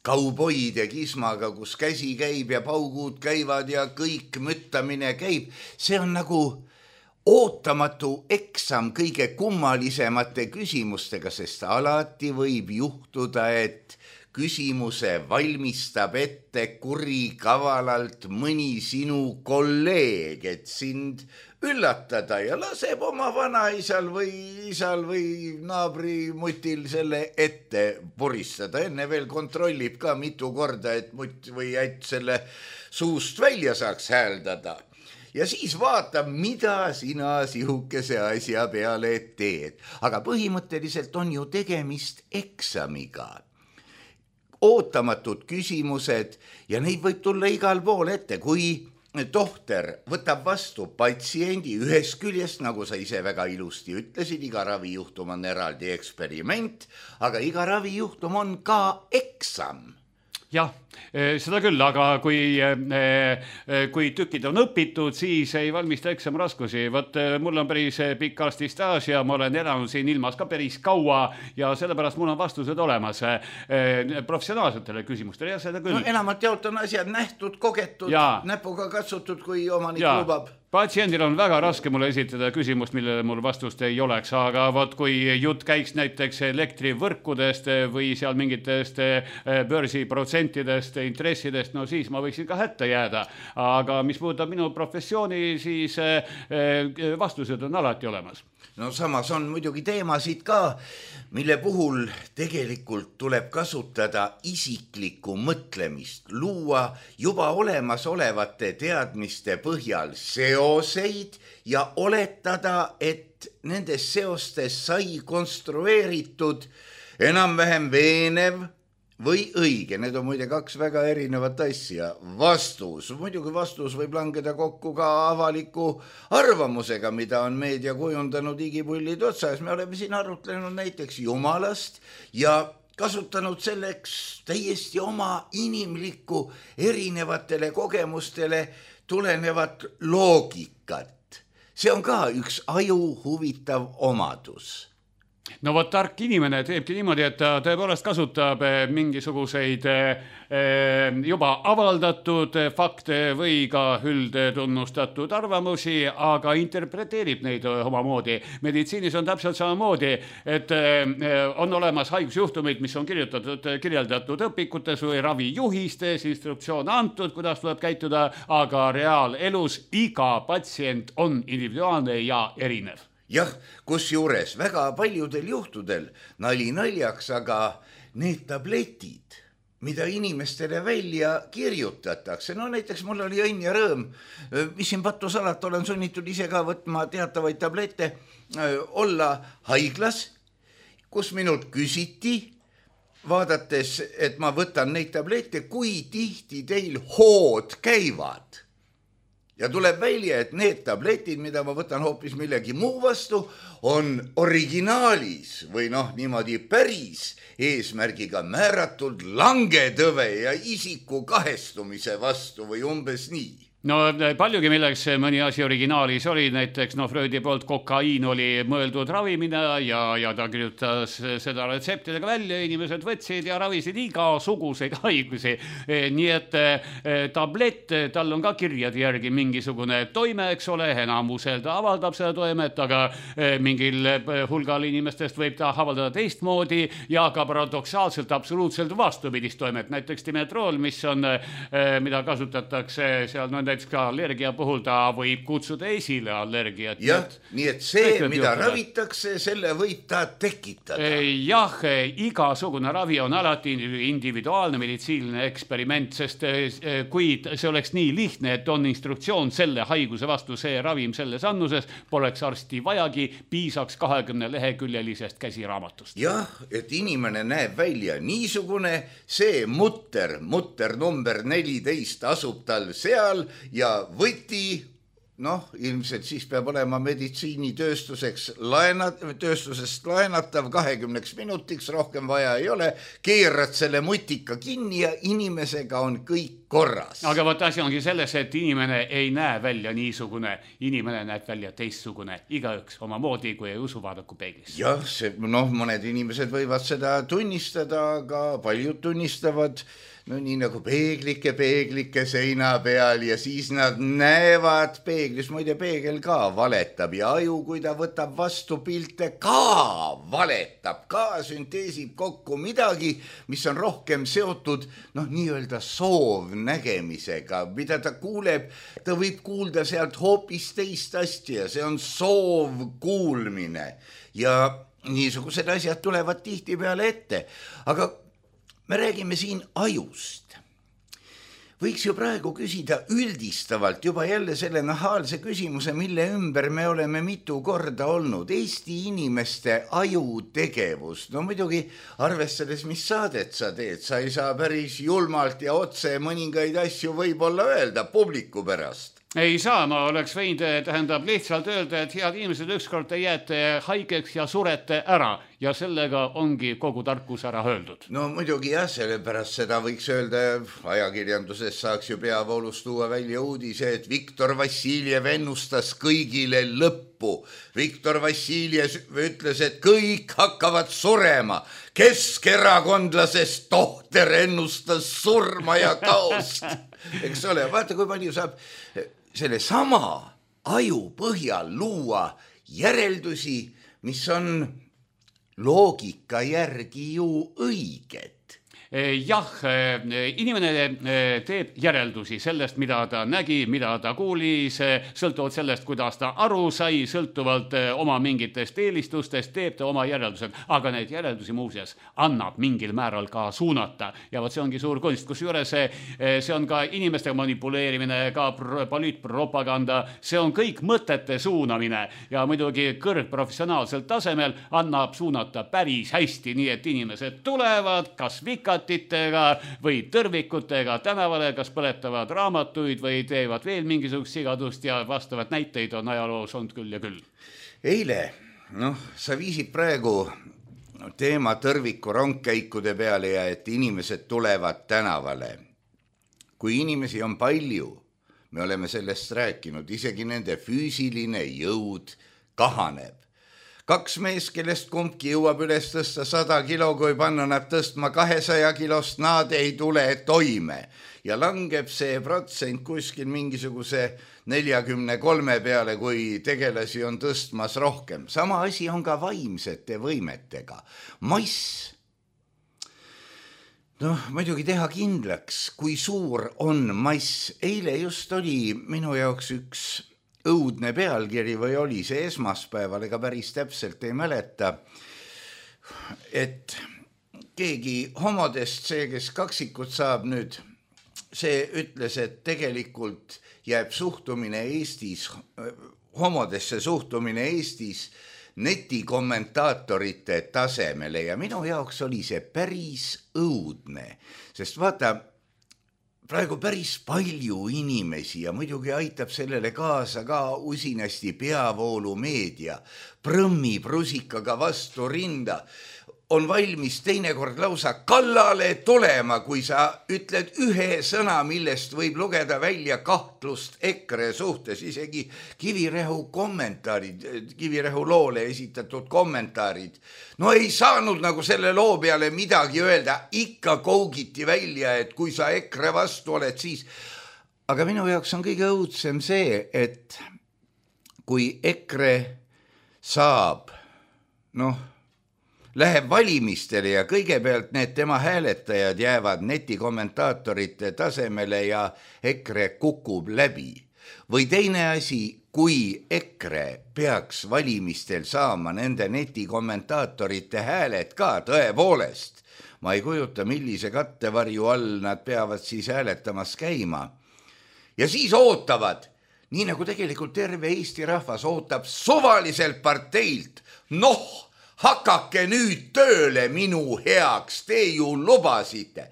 kauboide kismaga, kus käsi käib ja paugud käivad ja kõik müttamine käib. See on nagu ootamatu eksam kõige kummalisemate küsimustega, sest alati võib juhtuda, et küsimuse valmistab ette kuri kavalalt mõni sinu kolleeg, et sind üllatada ja laseb oma vanaisal või isal või naabrimutil selle ette puristada. Enne veel kontrollib ka mitu korda, et mutt või ätt selle suust välja saaks hääldada. Ja siis vaatab, mida sina sihukese asja peale teed. Aga põhimõtteliselt on ju tegemist eksamiga. Ootamatud küsimused ja neid võib tulla igal pool ette, kui tohter võtab vastu patsiendi ühes küljest, nagu sa ise väga ilusti ütlesid, iga ravijuhtum on eraldi eksperiment, aga iga ravijuhtum on ka eksam. jah, seda küll, aga kui, kui tükid on õpitud, siis ei valmista eksam raskusi. Võt, mul on päris pikk arstistaaž ja ma olen elanud siin ilmas ka päris kaua ja sellepärast mul on vastused olemas professionaalsetele küsimustele ja seda küll. No, enamalt jaolt on asjad nähtud, kogetud, ja. Näpuga katsutud, kui omanik ja. Lubab. Patsiendil on väga raske mulle esitada küsimust, millele mul vastust ei oleks, aga võt, kui jutt käiks näiteks elektrivõrkudest või seal mingitest börsiprotsentidest, intressidest, no siis ma võiksin ka hätta jääda. Aga mis puudutab minu professiooni, siis vastused on alati olemas. No samas on muidugi teemasid ka, mille puhul tegelikult tuleb kasutada isiklikku mõtlemist, luua juba olemasolevate teadmiste põhjal seoseid ja oletada, et nendes seostes sai konstrueeritud enam-vähem veenev või õige. Need on muide kaks väga erinevat asja. Vastus, muidugi vastus võib langeda kokku ka avaliku arvamusega, mida on meedia kujundanud igipullid otsas. Me oleme siin arutlenud näiteks Jumalast ja kasutanud selleks täiesti oma inimlikku erinevatele kogemustele tulenevat loogikat. See on ka üks aju huvitav omadus. No vot, tark inimene teebki niimoodi, et ta tõepoolest kasutab mingisuguseid juba avaldatud fakte või ka üldtunnustatud arvamusi, aga interpreteerib neid omamoodi. Meditsiinis on täpselt samamoodi, et on olemas haigusjuhtumid, mis on kirjutatud, kirjeldatud õpikutes või ravijuhistes, instruktsioon antud, kuidas tuleb käituda, aga reaalelus iga patsient on individuaalne ja erinev. Jah, kus juures väga paljudel juhtudel nali naljaks, aga need tabletid, mida inimestele välja kirjutatakse, no näiteks mul oli õnn ja rõõm, mis siin pattusalat olen sunnitud ise ka võtma teatavaid tablette, olla haiglas, kus minult küsiti, vaadates, et ma võtan neid tablette, kui tihti teil hood käivad. Ja tuleb välja, et need tabletid, mida ma võtan hoopis millegi muu vastu, on originaalis või noh, niimoodi päris eesmärgiga määratud langetõve ja isiku kahestumise vastu või umbes nii. No paljugi milleks mõni asi originaalis oli, näiteks no Freudi poolt kokaiin oli mõeldud ravimina ja, ja ta kirjutas seda retseptidega välja, inimesed võtsid ja ravisid igasuguseid haigusi. Nii et tablett, tal on ka kirjade järgi mingisugune toime, eks ole, enamusel ta avaldab seda toimet, aga mingil hulgal inimestest võib ta avaldada teistmoodi ja ka paradoksaalselt absoluutselt vastupidist toimet. Näiteks dimetrool, mis on, mida kasutatakse seal no, näiteks ka allergia puhul ta võib kutsuda esile allergiat. Jah, nii et see, mida juhtuda. Ravitakse, selle võib ta tekitada. Jah, igasugune ravi on alati individuaalne meditsiiniline eksperiment, sest kui see oleks nii lihtne, et on instruktsioon selle haiguse vastu, see ravim selles annuses, poleks arsti vajagi, piisaks kahekümne leheküljelisest käsiraamatust. Jah, et inimene näeb välja niisugune, see mutter, mutter number neliteist asub tal seal ja võti, noh, ilmselt siis peab olema meditsiinitööstuseks laenat, tööstusest laenatav kahekümneks minutiks, rohkem vaja ei ole, keerad selle mutika kinni ja inimesega on kõik korras. Aga võt asi ongi selles, et inimene ei näe välja niisugune, inimene näeb välja teistsugune, igaüks oma moodi, kui ei usu vaadaku peeglisse. Jah, see, noh, mõned inimesed võivad seda tunnistada, aga paljud tunnistavad no nii nagu peeglike, peeglike seina peal ja siis nad näevad peeglis, muide peegel ka valetab ja aju, kui ta võtab vastu pilte, ka valetab, ka sünteesib kokku midagi, mis on rohkem seotud, noh, nii-öelda soovnägemisega, mida ta kuuleb, ta võib kuulda sealt hoopis teist asja, see on soovkuulmine ja niisugused asjad tulevad tihti peale ette, aga me räägime siin ajust. Võiks ju praegu küsida üldistavalt juba jälle selle nahaalse küsimuse, mille ümber me oleme mitu korda olnud. Eesti inimeste ajutegevus. No muidugi arvestades, mis saadet sa teed, sa ei saa päris julmalt ja otse mõningaid asju võib-olla öelda publiku pärast. Ei saa, ma oleks võinud, tähendab lihtsalt öelda, et head inimesed ükskord te jääte haigeks ja surete ära. ja sellega ongi kogu tarkus ära öeldud. No muidugi jah, sellepärast seda võiks öelda, ajakirjanduses saaks ju peavoolust tuua välja uudise, et Viktor Vassiljev ennustas kõigile lõppu. Viktor Vassiljev ütles, et kõik hakkavad surema. Keskerakondlasest tohter ennustas surma ja kaost. Eks ole, vaata kui palju saab selle sama aju põhjal luua järeldusi, mis on loogika järgi ju õiged. Jah, inimene teeb järeldusi sellest, mida ta nägi, mida ta kuulis, sõltuvalt sellest, kuidas ta aru sai, sõltuvalt oma mingitest eelistustest, teeb ta oma järeldused, aga neid järeldusi muuseas annab mingil määral ka suunata. Ja võt see ongi suur kunst, kus juures see on ka inimeste manipuleerimine, ka poliitpropaganda, see on kõik mõtete suunamine ja muidugi kõrgprofessionaalsel tasemel annab suunata päris hästi, nii et inimesed tulevad, kas vikad või tõrvikutega tänavale, kas põletavad raamatuid või teevad veel mingisugust sigadust ja vastavad näiteid on ajaloos olnud küll ja küll. Eile, noh, sa viisid praegu teema tõrviku rongkäikude peale ja et inimesed tulevad tänavale. Kui inimesi on palju, me oleme sellest rääkinud, isegi nende füüsiline jõud kahaneb. Kaks mees, kellest kumbki jõuab üles tõsta sada kilo, kui panna nad tõstma kahesaja kilost, nad ei tule toime. Ja langeb see protsent kuskil mingisuguse neljakümne kolme peale, kui tegelasi on tõstmas rohkem. Sama asi on ka vaimsete võimetega. Mass, noh, muidugi teha kindlaks, kui suur on mass. Eile just oli minu jaoks üks õudne pealkiri või oli see esmaspäeval, ega päris täpselt ei mäleta, et keegi homodest, see, kes kaksikut saab nüüd, see ütles, et tegelikult jääb suhtumine Eestis, homodesse suhtumine Eestis netikommentaatorite tasemele ja minu jaoks oli see päris õudne, sest vaata, praegu päris palju inimesi ja muidugi aitab sellele kaasa ka usinasti peavoolu meedia, prõmmi prusikaga vastu rinda, on valmis teinekord lausa kallale tulema, kui sa ütled ühe sõna, millest võib lugeda välja kahtlust EKRE suhtes, isegi Kivirähu kommentaarid, Kivirähu loole esitatud kommentaarid. No ei saanud nagu selle loo peale midagi öelda, ikka kougiti välja, et kui sa EKRE vastu oled, siis... Aga minu jaoks on kõige õudsem see, et kui EKRE saab, noh, läheb valimistele ja kõigepealt need tema hääletajad jäävad netikommentaatorite tasemele ja EKRE kukub läbi. Või teine asi, kui EKRE peaks valimistel saama nende netikommentaatorite hääled ka tõepoolest, ma ei kujuta, millise kattevarju all nad peavad siis hääletamas käima. Ja siis ootavad, nii nagu tegelikult terve Eesti rahvas ootab suvaliselt parteilt, noh, hakake nüüd tööle minu heaks, te ju lubasite.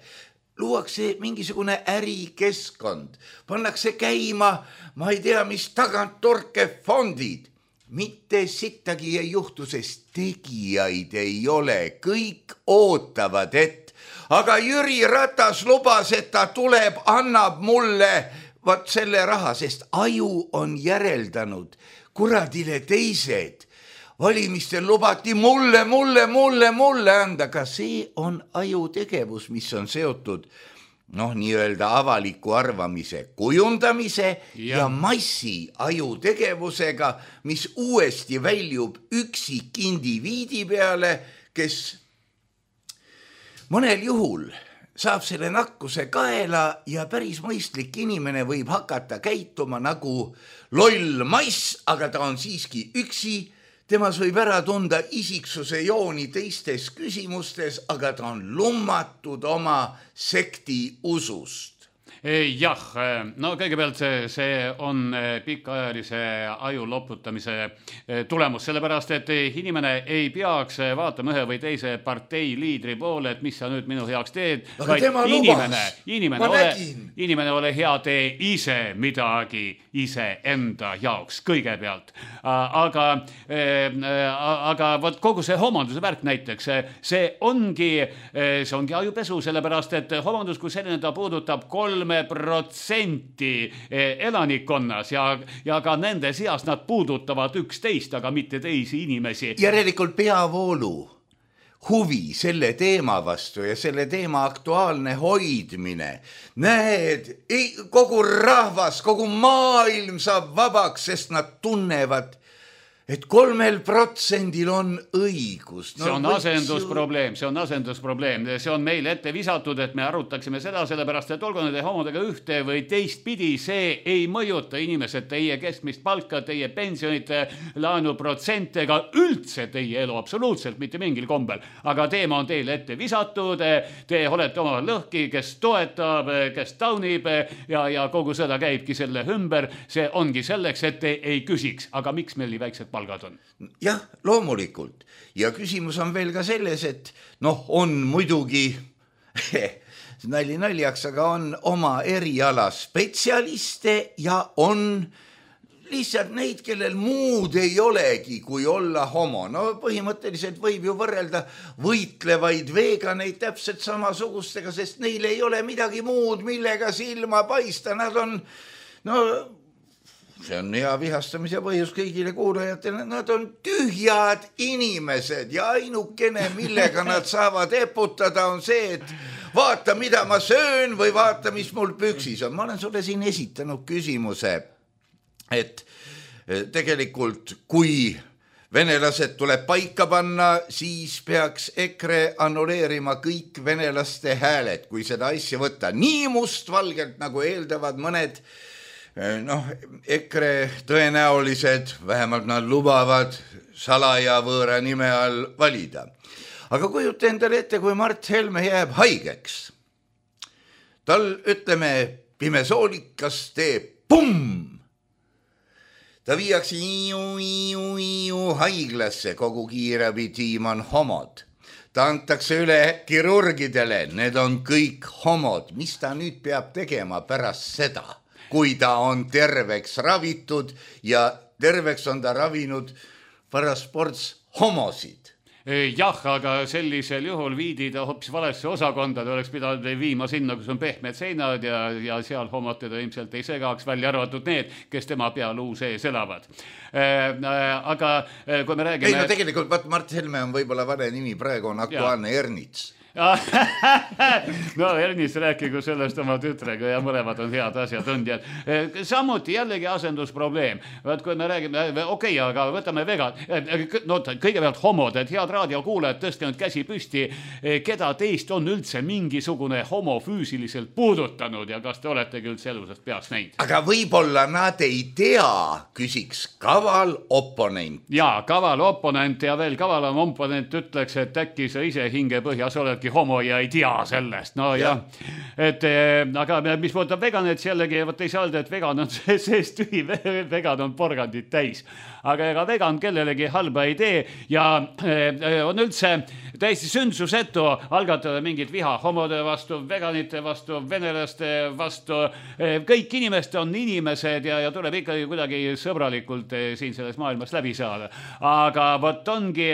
Luuakse mingisugune ärikeskkond, pannakse käima, ma ei tea, mis taganttorke fondid. Mitte sittagi ei juhtu, sest tegijaid ei ole, kõik ootavad, et aga Jüri Ratas lubas, et ta tuleb, annab mulle vaat selle raha, sest aju on järeldanud, kuradile teised. Valimistel lubati mulle, mulle, mulle, mulle anda, ka see on aju tegevus, mis on seotud, noh, nii-öelda avaliku arvamise kujundamise ja, ja massi aju tegevusega, mis uuesti väljub üksik indiviidi peale, kes mõnel juhul saab selle nakkuse kaela ja päris mõistlik inimene võib hakata käituma nagu loll mass, aga ta on siiski üksi. Temas võib ära tunda isiksuse jooni teistes küsimustes, aga ta on lummatud oma sekti usust. Jah, no kõigepealt see, see on pikaajalise aju loputamise tulemus, sellepärast et inimene ei peaks vaatama ühe või teise partei liidri poole, et mis sa nüüd minu heaks teed, aga tema inimene, lubas, inimene, ma ole, nägin. inimene ole hea, tee ise midagi ise enda jaoks kõigepealt. Aga, aga võt kogu see homonduse värk näiteks, see ongi, see ongi ajupesu, sellepärast et homondus, kui selline ta puudutab kolm protsenti elanikkonnas ja, ja ka nende seas nad puudutavad üksteist, aga mitte teisi inimesi. Järelikult peavoolu huvi selle teema vastu ja selle teema aktuaalne hoidmine. Näed, kogu rahvas, kogu maailm saab vabaks, sest nad tunnevad, et kolmel protsendil on õigus. No, see on asendusprobleem, see on asendusprobleem. See on meil ette visatud, et me arutaksime seda, sellepärast, et olgu nende homodega ühte või teist pidi, see ei mõjuta inimesed, teie keskmist palka, teie pensionite, laenuprotsente, ega üldse teie elu absoluutselt mitte mingil kombel. Aga teema on teile ette visatud, te olete oma lõhki, kes toetab, kes taunib ja, ja kogu seda käibki selle ümber. See ongi selleks, et te ei küsiks, aga miks meil nii väiksed palgad on? Jah, loomulikult. Ja küsimus on veel ka selles, et noh, on muidugi nali naljaks, aga on oma eriala spetsialiste ja on lihtsalt neid, kellel muud ei olegi, kui olla homo. No põhimõtteliselt võib ju võrrelda võitlevaid veganeid täpselt samasugustega, sest neil ei ole midagi muud, millega silma paista. Nad on, no see on hea vihastamise põhjus kõigile kuulajatele, nad on tühjad inimesed ja ainukene, millega nad saavad eputada, on see, et vaata, mida ma söön või vaata, mis mul püksis on. Ma olen sulle siin esitanud küsimuse, et tegelikult kui venelased tuleb paika panna, siis peaks EKRE annuleerima kõik venelaste hääled, kui seda asja võtta nii mustvalgelt, nagu eeldavad mõned noh, EKRE tõenäolised, vähemalt nad lubavad salaja võõra nime all valida. Aga kujuta endale ette, kui Mart Helme jääb haigeks. Tal, ütleme, pimesoolikas teeb pumm. Ta viiakse iu, iu, iu haiglasse, kogu kiirabitiim on homod. Ta antakse üle kirurgidele, need on kõik homod. Mis ta nüüd peab tegema pärast seda? Kui ta on terveks ravitud ja terveks on ta ravinud parasports homosid. Jah, aga sellisel juhul viidi ta hoopis valesse osakonda, ta oleks pidanud viima sinna, kus on pehmed seinad ja, ja seal homod teda ilmselt ei segaks, välja arvatud need, kes tema pealuu sees elavad. Aga kui me räägime... Ei, no tegelikult, vaat Mart Helme on võib-olla vale nimi, praegu on aktuaalne ja. Ernits. No Ernis rääkigu sellest oma tütrega ja mõlemad on head asjatundjad. Samuti jällegi asendusprobleem. Vaat kui me räägime, okei, okay, aga võtame vegan. No kõigepealt homod, et head raadiokuulajad, tõstke nüüd käsi püsti. Keda teist on üldse mingisugune homo füüsiliselt puudutanud ja kas te oletegi üldse elusast peast näinud? Aga võib-olla nad ei tea, küsiks kaval oponent. Jaa, kaval oponent ja veel kavalam oponent ütleks, et äkki sa ise hinge põhjas oledki homo ja ei tea sellest. No ja, ja. Et, aga mis puudutab veganet jällegi, võt ei saa öelda, et vegan on seest tühi, vegan on porgandit täis. Aga ega vegan kellelegi halba ei tee ja on üldse täiesti sündsusetu algatada mingit viha homode vastu, veganite vastu, venelaste vastu. Kõik inimesed on inimesed ja, ja tuleb ikkagi kuidagi sõbralikult siin selles maailmas läbi saada. Aga võt ongi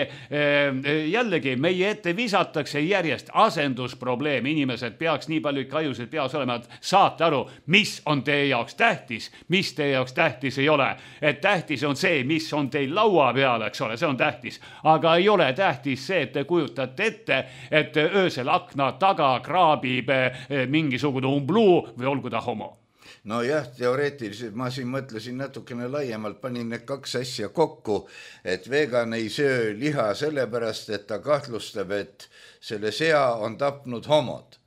jällegi meie ette visatakse järjest asendusprobleem. Inimesed peaks nii palju ikka ajusid peas olema, et saate aru, mis on teie jaoks tähtis, mis teie jaoks tähtis ei ole. Et tähtis on see, mis on teil laua peal, eks ole, see on tähtis. Aga ei ole tähtis see, et te kujutate ette, et öösel akna taga kraabib mingisugune umbluu või olgu ta homo. No jah, teoreetiliselt ma siin mõtlesin natukene laiemalt, panin need kaks asja kokku, et vegan ei söö liha sellepärast, et ta kahtlustab, et selle sea on tapnud homod.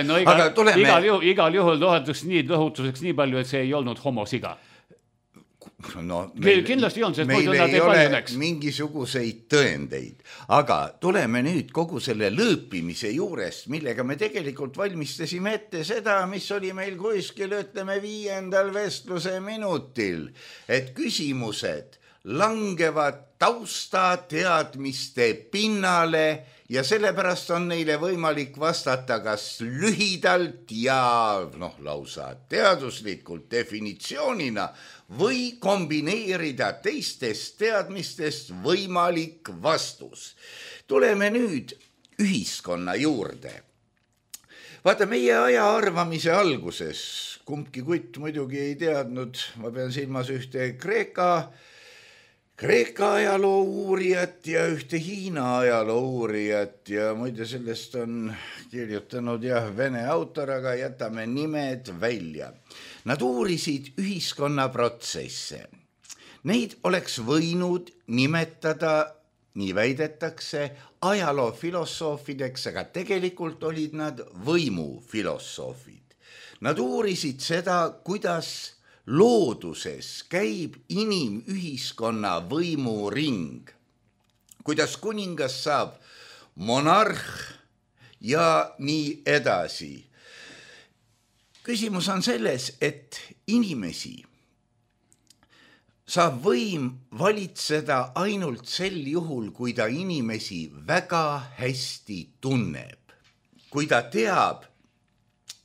no igal, tuleme... igal, juhul, igal juhul lohetuseks nii, lohutuseks nii palju, et see ei olnud homosiga. no, meil, kindlasti on, sest meil ei ole mingisuguseid tõendeid, aga tuleme nüüd kogu selle lõõpimise juurest, millega me tegelikult valmistasime ette seda, mis oli meil kuskil, ütleme, viiendal vestluse minutil, et küsimused langevad taustateadmiste pinnale ja sellepärast on neile võimalik vastata kas lühidalt ja noh, lausa teaduslikult definitsioonina või kombineerida teistest teadmistest võimalik vastus. Tuleme nüüd ühiskonna juurde. Vaata, meie aja arvamise alguses, kumbki kutt muidugi ei teadnud, ma pean silmas ühte Kreeka Kreeka ajaloo uurijat ja ühte Hiina ajaloo uurijat ja muide sellest on kirjutanud jah, vene autor, aga jätame nimed välja. Nad uurisid ühiskonnaprotsesse. Neid oleks võinud nimetada, nii väidetakse, ajaloofilosoofideks, aga tegelikult olid nad võimufilosoofid. Nad uurisid seda, kuidas looduses käib inimühiskonna võimuring, kuidas kuningas saab monarh ja nii edasi. Küsimus on selles, et inimesi saab võim valitseda ainult sel juhul, kui ta inimesi väga hästi tunneb, kui ta teab,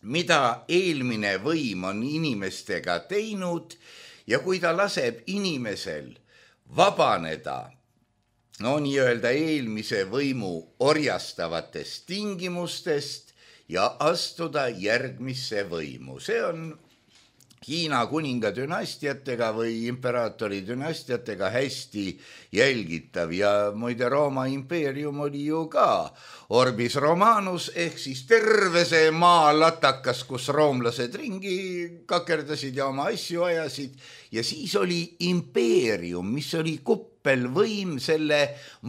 mida eelmine võim on inimestega teinud ja kui ta laseb inimesel vabaneda, no nii öelda eelmise võimu orjastavatest tingimustest ja astuda järgmisse võimu. See on Hiina kuninga dünastiatega või imperaatori dünastiatega hästi jälgitav ja muide Rooma impeerium oli ju ka Orbis Romanus ehk siis terve see maa latakas, kus roomlased ringi kakerdasid ja oma asju ajasid ja siis oli impeerium, mis oli kuppelvõim selle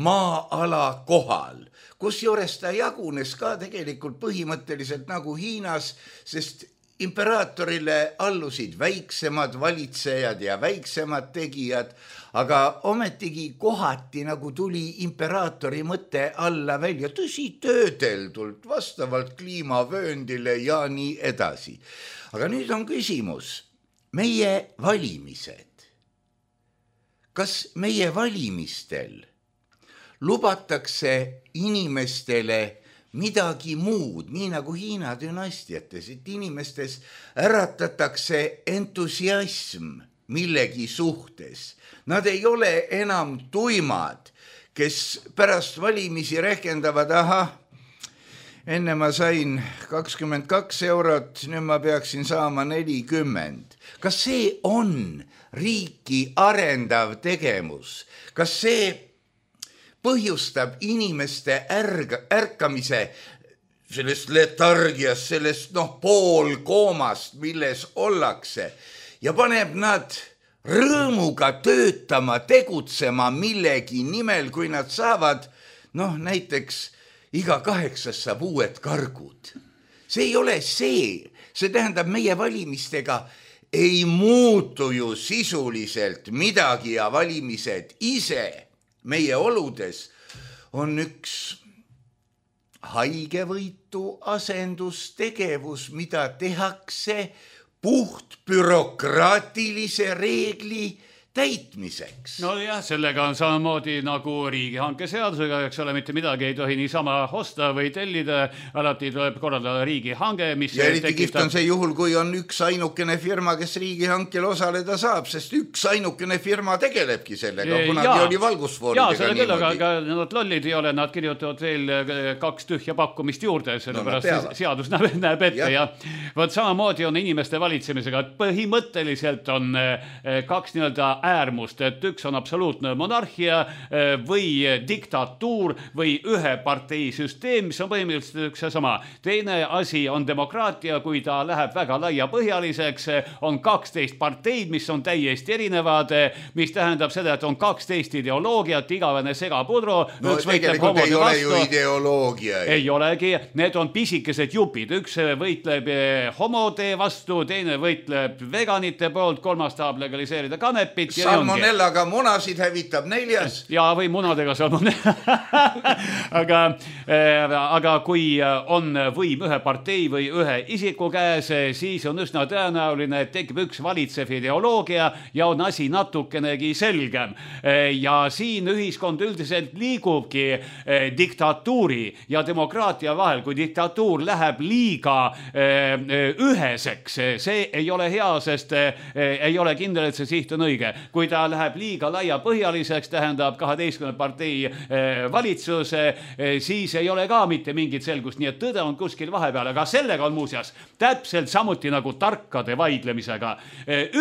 maa-ala kohal, kusjuures ta jagunes ka tegelikult põhimõtteliselt nagu Hiinas, sest imperaatorile allusid väiksemad valitsejad ja väiksemad tegijad, aga ometigi kohati nagu tuli imperaatori mõte alla välja, tõsi töödeldult, vastavalt kliimavööndile ja nii edasi. Aga nüüd on küsimus, meie valimised. Kas meie valimistel lubatakse inimestele midagi muud, nii nagu Hiina dünastiates, et inimestes äratatakse entusiasm millegi suhtes. Nad ei ole enam tuimad, kes pärast valimisi rehkendavad, aha, enne ma sain kakskümmend kaks eurot, nüüd ma peaksin saama nelikümmend. Kas see on riiki arendav tegevus? Kas see põhjustab inimeste ärga, ärkamise sellest letargiast, sellest noh, poolkoomast, milles ollakse ja paneb nad rõõmuga töötama, tegutsema millegi nimel, kui nad saavad, noh näiteks iga kaheksas saab uued kargud. See ei ole see, see tähendab meie valimistega ei muutu ju sisuliselt midagi ja valimised ise meie oludes on üks haigevõitu asendustegevus, mida tehakse puht bürokraatilise reegli täitmiseks. No jah, sellega on samamoodi nagu riigihanke seadusega, eks ole, mitte midagi ei tohi niisama osta või tellida, alati tuleb korraldada riigihange, mis ja eriti tekitab... kihvt on see juhul, kui on üks ainukene firma, kes riigihankel osaleda saab, sest üks ainukene firma tegelebki sellega, kunagi oli valgusfooridega ja, selle küll, aga, aga nad lollid ei ole, nad kirjutavad veel kaks tühja pakkumist juurde, sellepärast no, seadus näeb, näeb ette ja, ja võt samamoodi on inimeste valitsemisega, põhimõtteliselt on kaks nii-öelda äärmust, et üks on absoluutne monarhia või diktatuur või ühe partei süsteem, mis on põhimõtteliselt üks ja sama. Teine asi on demokraatia, kui ta läheb väga laiapõhjaliseks, on kaksteist parteid, mis on täiesti erinevad, mis tähendab seda, et on kaksteist ideoloogiat, igavene segapudru. No tegelikult ei ole ju ideoloogia. Ei olegi, need on pisikesed jupid. Üks võitleb homode vastu, teine võitleb veganite poolt, kolmas tahab legaliseerida kanepit. salmonellaga munasid hävitab neljas. Ja või munadega salmonella. aga, aga kui on võim ühe partei või ühe isiku käes, siis on üsna tõenäoline, et tekib üks valitsev ideoloogia ja on asi natukenegi selgem. Ja siin ühiskond üldiselt liigubki diktatuuri ja demokraatia vahel, kui diktatuur läheb liiga üheseks. See ei ole hea, sest ei ole kindel, et see siht on õige. Kui ta läheb liiga laiapõhjaliseks, tähendab kaheteistkümne partei valitsus, siis ei ole ka mitte mingit selgust. Nii et tõde on kuskil vahepeal, aga sellega on muuseas täpselt samuti nagu tarkade vaidlemisega.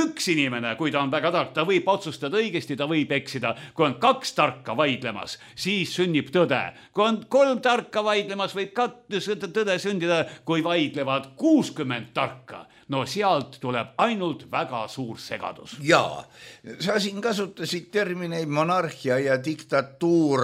Üks inimene, kui ta on väga tark, ta võib otsustada õigesti, ta võib eksida. Kui on kaks tarka vaidlemas, siis sünnib tõde. Kui on kolm tarka vaidlemas, võib ka tõde sündida, kui vaidlevad kuuskümmend tarka. No sealt tuleb ainult väga suur segadus. Jaa, sa siin kasutasid termineid monarhia ja diktatuur,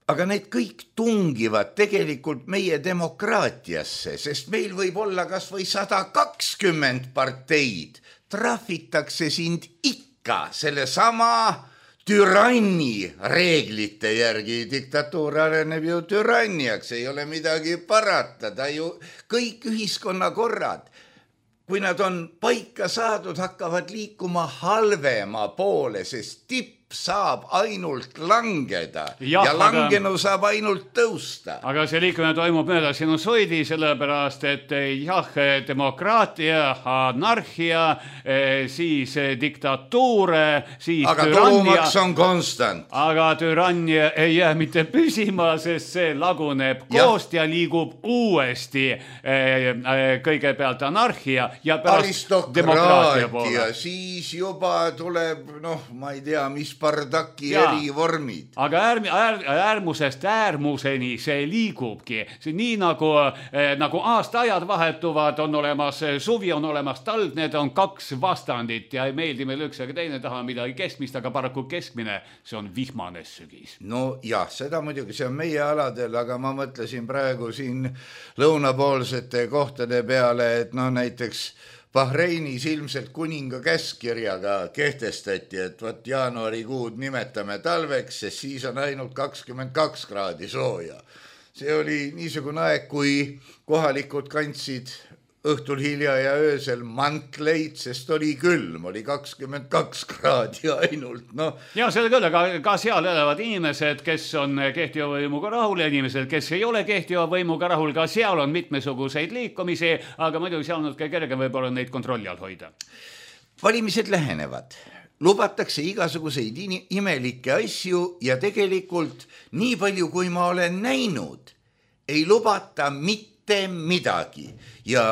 aga need kõik tungivad tegelikult meie demokraatiasse, sest meil võib olla kas või sada kakskümmend parteid. Trahvitakse sind ikka selle sama türanni reeglite järgi. Diktatuur areneb ju türanniaks, ei ole midagi parata, ta ju kõik ühiskonnakorrad. Kui nad on paika saadud, hakkavad liikuma halvema poole, sest tipp saab ainult langeda ja, ja langenu aga, saab ainult tõusta. Aga see liikumine toimub mööda sinusoidi, sellepärast, et jah, demokraatia, anarhia, siis diktatuur, siis aga türannia. Tulumaks on konstant. Aga türannia ei jää mitte püsima, sest see laguneb koost ja, ja liigub uuesti kõigepealt anarhia ja pärast demokraatia poole. Siis juba tuleb, noh, ma ei tea, mis pardaki ja, eri vormid. Aga äär, äär, äärmusest äärmuseni see liigubki. See nii nagu, eh, nagu aastaajad vahetuvad, on olemas suvi, on olemas talv, need on kaks vastandit ja ei meeldi meil üks ega teine taha midagi keskmist, aga paraku keskmine, see on vihmane sügis. No jah, seda muidugi, see on meie aladel, aga ma mõtlesin praegu siin lõunapoolsete kohtade peale, et no näiteks Bahreinis ilmselt kuninga käskirjaga kehtestati, et võt jaanuarikuud nimetame talveks, sest siis on ainult kakskümmend kaks kraadi sooja. See oli niisugune aeg, kui kohalikud kandsid õhtul hilja ja öösel mantleid, sest oli külm, oli kakskümmend kaks kraadi ainult. No. Ja selle küll, aga ka seal elavad inimesed, kes on kehtiva võimuga rahul ja inimesed, kes ei ole kehtiva võimuga rahul, ka seal on mitmesuguseid liikumisi, aga muidugi seal on ka kergem võib-olla neid kontrolli all hoida. Valimised lähenevad. Lubatakse igasuguseid imelikke asju ja tegelikult nii palju, kui ma olen näinud, ei lubata mitte midagi ja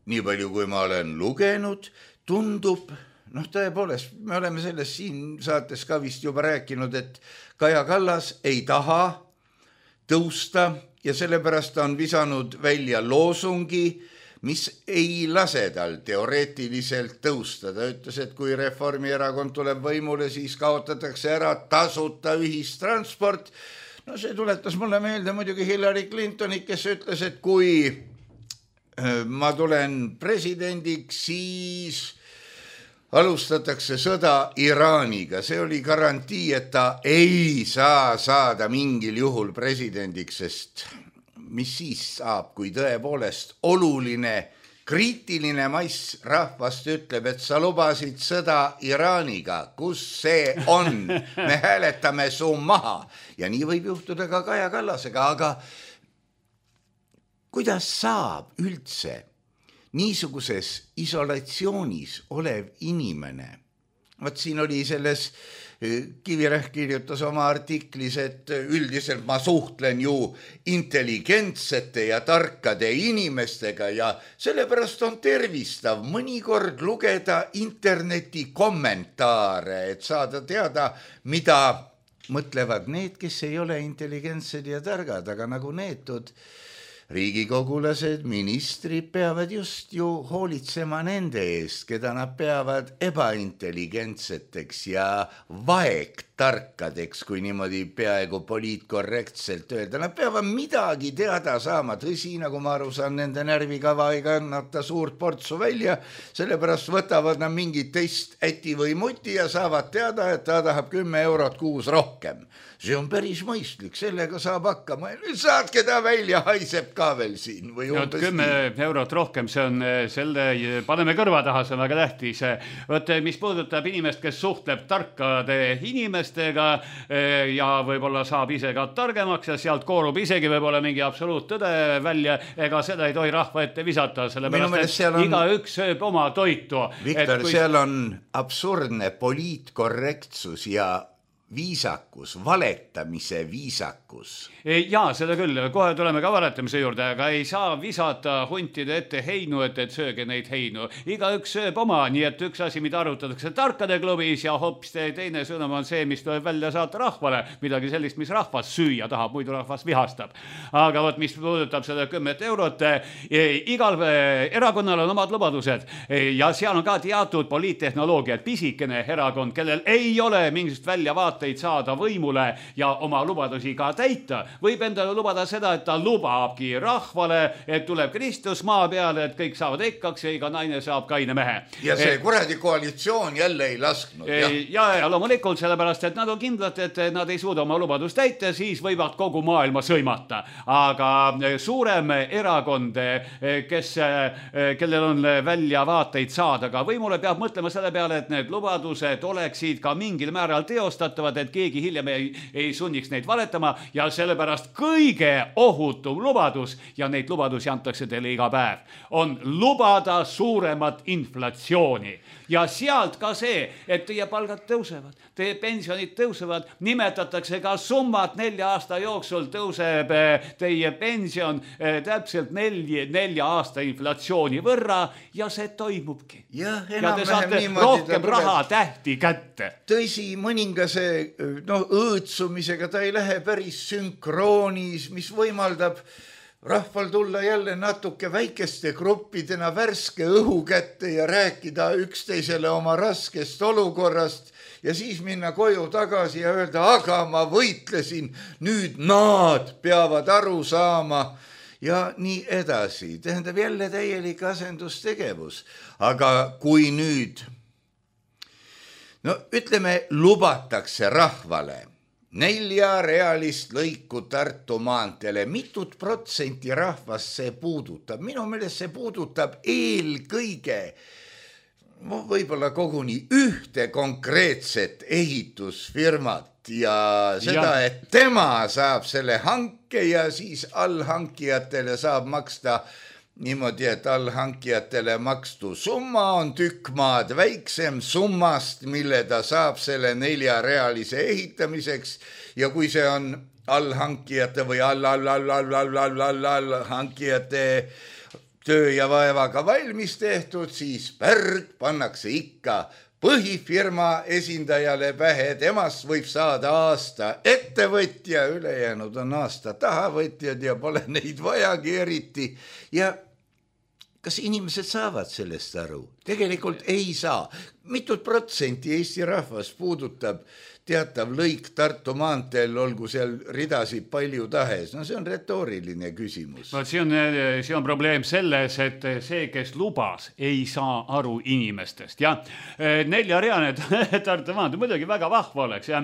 nii palju, kui ma olen lugenud, tundub, noh tõepoolest, me oleme sellest siin saates ka vist juba rääkinud, et Kaja Kallas ei taha tõusta ja sellepärast on visanud välja loosungi, mis ei lase tal teoreetiliselt tõusta. Ta ütles, et kui Reformierakond tuleb võimule, siis kaotatakse ära tasuta ühistransport. No see tuletas mulle meelde muidugi Hillary Clintoni, kes ütles, et kui ma tulen presidendiks, siis alustatakse sõda Iraaniga. See oli garantii, et ta ei saa saada mingil juhul presidendiks, sest mis siis saab, kui tõepoolest oluline kriitiline mass rahvast ütleb, et sa lubasid sõda Iraaniga, kus see on, me hääletame su maha. Ja nii võib juhtuda ka Kaja Kallasega, aga kuidas saab üldse niisuguses isolatsioonis olev inimene? Võt siin oli selles, Kivirähk kirjutas oma artiklis, et üldiselt ma suhtlen ju intelligentsete ja tarkade inimestega ja sellepärast on tervistav mõnikord lugeda interneti kommentaare, et saada teada, mida mõtlevad need, kes ei ole intelligentsed ja targad, aga nagu neetud riigikogulased, ministrid peavad just ju hoolitsema nende eest, keda nad peavad ebaintelligentseteks ja vaegtarkadeks, kui niimoodi peaaegu poliitkorrektselt öelda. Nad peavad midagi teada saama, tõsi, nagu ma aru saan, nende närvikava ei kannata suurt portsu välja, sellepärast võtavad nad mingit teist äti või muti ja saavad teada, et ta tahab kümme eurot kuus rohkem. See on päris mõistlik, sellega saab hakkama. Nüüd saatke ta välja, haiseb ka veel siin. Või no, kümme eurot rohkem, see on selle, paneme kõrva taha, see on väga tähtis. Võt, mis puudutab inimest, kes suhtleb tarkade inimestega ja võib-olla saab ise ka targemaks ja sealt koorub isegi võib-olla mingi absoluuttõde välja, ega seda ei tohi rahva ette visata, sellepärast, et on... iga üks sööb oma toitu. Viktor, kui... seal on absurdne poliitkorrektsus ja viisakus, valetamise viisakus. Jaa, seda küll, kohe tuleme ka valetamise juurde, aga ei saa visata huntide ette heinu, et, et sööge neid heinu. Iga üks sööb oma, nii et üks asi, mida arutatakse tarkade klubis ja hoopis teine sõnum on see, mis tuleb välja saata rahvale, midagi sellist, mis rahvas süüa tahab, muidu rahvas vihastab. Aga võt, mis puudutab seda kümmet eurot, igal erakonnal on omad lubadused ja seal on ka teatud poliittehnoloogia, et pisikene erakond, kellel ei ole mingisugust väljavaateid saada võimule ja oma lubadusi ka täita, võib endale lubada seda, et ta lubabki rahvale, et tuleb Kristus maa peale, et kõik saavad ekkaks ja iga naine saab kaine mehe. Ja see kuradi koalitsioon jälle ei lasknud. Ja, ja, ja loomulikult sellepärast, et nad on kindlad, et nad ei suuda oma lubadust täita, siis võivad kogu maailma sõimata. Aga suurem erakond, kes, kellel on väljavaateid saada ka võimule, peab mõtlema selle peale, et need lubadused oleksid ka mingil määral teostatavad, et keegi hiljem ei, ei sunniks neid valetama ja sellepärast kõige ohutum lubadus, ja neid lubadusi antakse teile iga päev, on lubada suuremat inflatsiooni. Ja sealt ka see, et teie palgad tõusevad, teie pensionid tõusevad, nimetatakse ka summat nelja aasta jooksul tõuseb teie pension täpselt nelja, nelja aasta inflatsiooni võrra ja see toimubki. Ja, ja te saate rohkem raha tähti kätte. Tõsi, mõningase no, õõtsumisega ta ei lähe päris sünkroonis, mis võimaldab rahval tulla jälle natuke väikeste gruppidena värske õhu kätte ja rääkida üksteisele oma raskest olukorrast ja siis minna koju tagasi ja öelda, aga ma võitlesin, nüüd nad peavad aru saama ja nii edasi. Tähendab jälle täielik asendustegevus. Aga kui nüüd, no ütleme, lubatakse rahvale neljarealist lõiku Tartu maanteele, mitut protsenti rahvast see puudutab? Minu meelest see puudutab eelkõige, võib-olla koguni ühte konkreetset ehitusfirmat ja seda, ja. et tema saab selle hanke ja siis allhankijatele saab maksta niimoodi, et allhankijatele makstu summa on tükk maad väiksem summast, mille ta saab selle neljarealise ehitamiseks ja kui see on allhankijate või all-all-all-all-all-all-all-hankijate töö ja vaevaga valmis tehtud, siis pärg pannakse ikka põhifirma esindajale pähe, temast võib saada aasta ettevõtja, ülejäänud on aasta tahavõtjad ja pole neid vajagi eriti ja kas inimesed saavad sellest aru? Tegelikult ei saa. Mitut protsenti Eesti rahvas puudutab teatav lõik Tartu maanteel, olgu seal ridasid palju tahes. No see on retooriline küsimus. No, see, on, see on probleem selles, et see, kes lubas, ei saa aru inimestest. Ja neljareane Tartu maanteel muidugi väga vahva oleks. Ja.